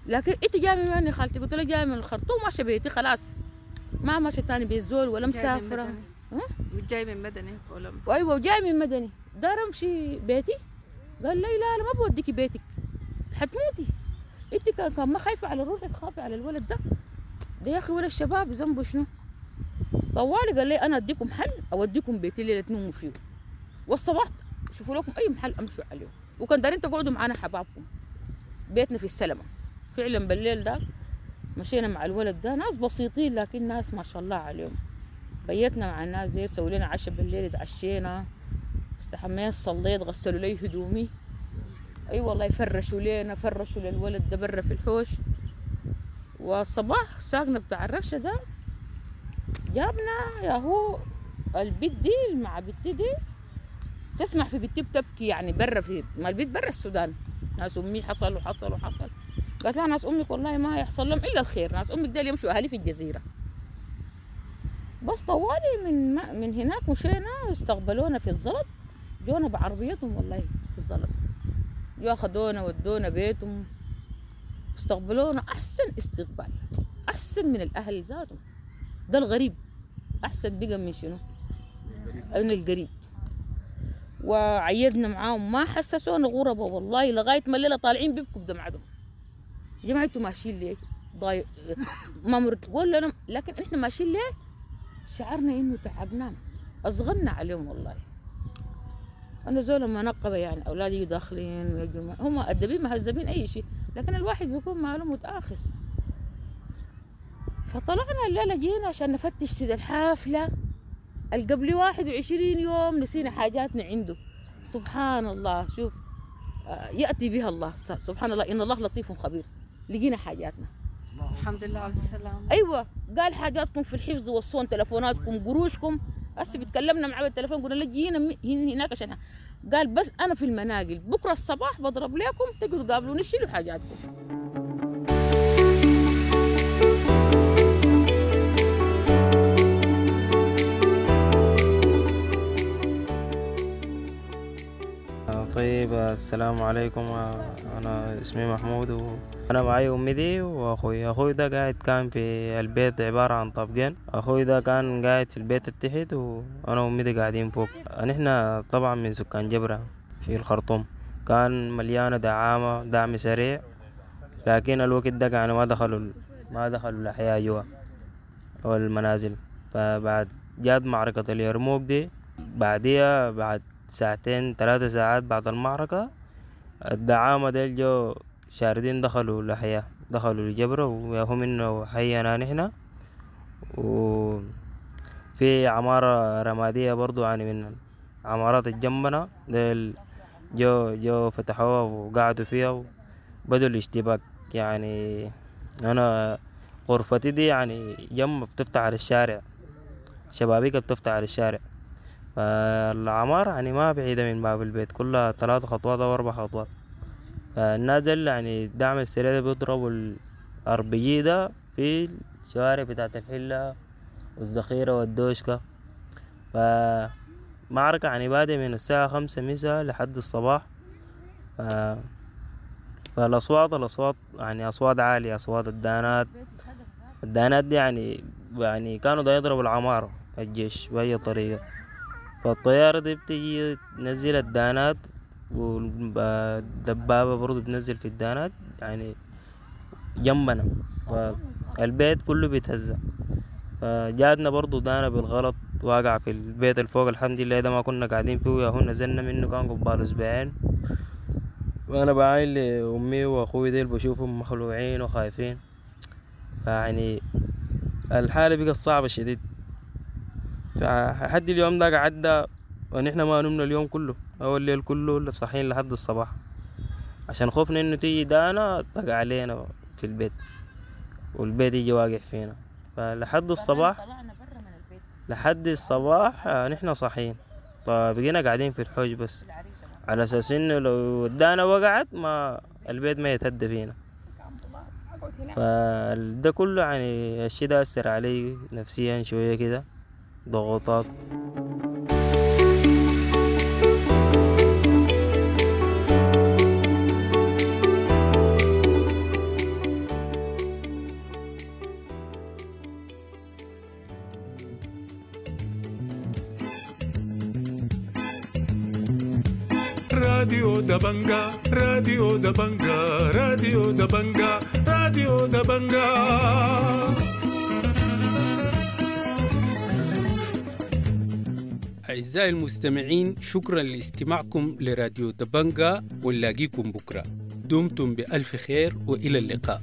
لكن أنت جاية من وين يا خالتي؟ قلت لها جاية من الخرطوم ماشية بيتي خلاص، ما ماشية تاني بيت ولا مسافرة. وجاي من مدني ولا؟ أيوة وجاي من مدني، دار أمشي بيتي؟ قال لي لا لا ما بوديكي بيتك حتموتي، انت كان ما خايفة على روحك خافي على الولد ده، ده يا اخي ولا الشباب ذنبه شنو؟ طوالي قال لي انا اديكم حل، اوديكم بيتي الليلة تنوموا فيه، والصباح شوفوا لكم اي محل امشوا عليه، وكان دارين تقعدوا معانا حبابكم بيتنا في السلمه. فعلا بالليل ده مشينا مع الولد ده، ناس بسيطين لكن ناس ما شاء الله عليهم. بيتنا مع الناس دي، سووا لنا عشاء بالليل، اتعشينا، استحميت، صليت، غسلوا لي هدومي، اي أيوة والله فرشوا لينا، فرشوا للولد ده برا في الحوش. والصباح ساقنا بتاع الركشه ده، جابنا يا هو البيت دي مع بنتي دي، تسمع في بنتي بتبكي يعني برا في ما البيت برا السودان، ناس امي حصل وحصل وحصل. قالت لها ناس امك والله ما يحصل لهم الا الخير، ناس امك ديل يمشوا اهلي في الجزيرة. بس طوالي من هناك مشينا واستقبلونا في الزلط، جونا بعربيتهم والله في الزلط، جو اخذونا ودونا بيتهم، استقبلونا احسن استقبال، احسن من الاهل ذاتهم. ده الغريب احسن بقى من شنو؟ من القريب. وعيدنا معاهم، ما حسسونا غربة والله لغاية ما الليلة طالعين بيبكوا بدمعتهم، يا جماعة انتوا ماشيين ليه؟ ضايق ما مرتقول لنا، لكن احنا ماشيين ليه؟ شعرنا انه تعبناهم، اصغرنا عليهم والله. انا زول منقبة يعني، اولادي داخلين هم ادبين مهذبين اي شيء، لكن الواحد بيكون ماله متاخس. فطلعنا الليلة جينا عشان نفتش سيد الحافلة القبل 21 يوم نسينا حاجاتنا عنده. سبحان الله، شوف ياتي بها الله، سبحان الله، ان الله لطيف خبير. لقينا حاجاتنا الحمد لله على السلامة. ايوه قال حاجاتكم في الحفظ والصون، تلفوناتكم، قروشكم. هسه بتكلمنا معاه بالتليفون قلنا له جينا هناك عشان قال بس انا في المناقل، بكره الصباح بضرب لكم تقعدوا تقابلوني شيلوا حاجاتكم. طيب السلام عليكم، أنا اسمي محمود وأنا معي أمي دي وأخوي. أخوي ده قاعد كان في البيت عبارة عن طابقين، أخوي ده كان قاعد في البيت التحت وأنا وأمي دي قاعدين فوق. نحن طبعا من سكان جبرة في الخرطوم، كان مليانة دعامة دعم سريع، لكن الوقت ده يعني ما دخلوا الأحياء جوا، والمنازل. فبعد جات معركة اليرموك دي، بعديها بعد ساعتين 3 ساعات بعد المعركة، الدعامة ديل جو شاردين دخلوا الأحياء، دخلوا الجبرة وياهم إنه حينا نحن. وفي عمارة رمادية برضو من عمارات الجنبنا ديل جو فتحوها وقعدوا فيها وبدوا الاشتباك. أنا غرفتي دي جنب بتفتح على الشارع، شبابيك بتفتح على الشارع، فالعمارة ما بعيدة من باب البيت، كلها 3 خطوات أو 4 خطوات. فالناس اللي الدعم السريع ده بيضربوا الار بي جي ده في الشوارع بتاعت الحلة والذخيرة والدوشكة. فمعركة بادئ من الساعة 5 مساء لحد الصباح. فالأصوات، الأصوات أصوات عالية، أصوات الدانات. الدانات دي كانوا دا يضربوا العمارة الجيش بأي طريقة. فالطيارة دي بتيجي تنزل الدانات، والدبابة برضو بتنزل في الدانات جنبنا، فالبيت كله بيتهز. فجاتنا برضو دانا بالغلط واقع في البيت الفوق، الحمد لله ده ما كنا قاعدين فيه، يا هو نزلنا منه كان قبال أسبوعين. وأنا بعاين لأمي وأخوي ديل بشوفهم مخلوعين وخايفين، فيعني الحالة بقت صعبة شديد. فحد اليوم ده قعدنا ونحن ما نمنا اليوم كله أو الليل كله، صاحيين لحد الصباح، عشان خوفنا إنه تيجي دانا تقع علينا في البيت والبيت يجي واقع فينا. فلحد الصباح، لحد الصباح نحن صاحيين. فبقينا قاعدين في الحوش بس على أساس إنه لو دانا وقعت ما البيت ما يتهدى فينا. فده كله الشيء ده أثر علي نفسيا شوية كده، ضغوطات. راديو دبنجا، راديو دبنجا، راديو دبنجا، راديو دبنجا. أعزائي المستمعين، شكرا لاستماعكم لراديو دبنجا، ونلاقيكم بكرة. دمتم بألف خير وإلى اللقاء.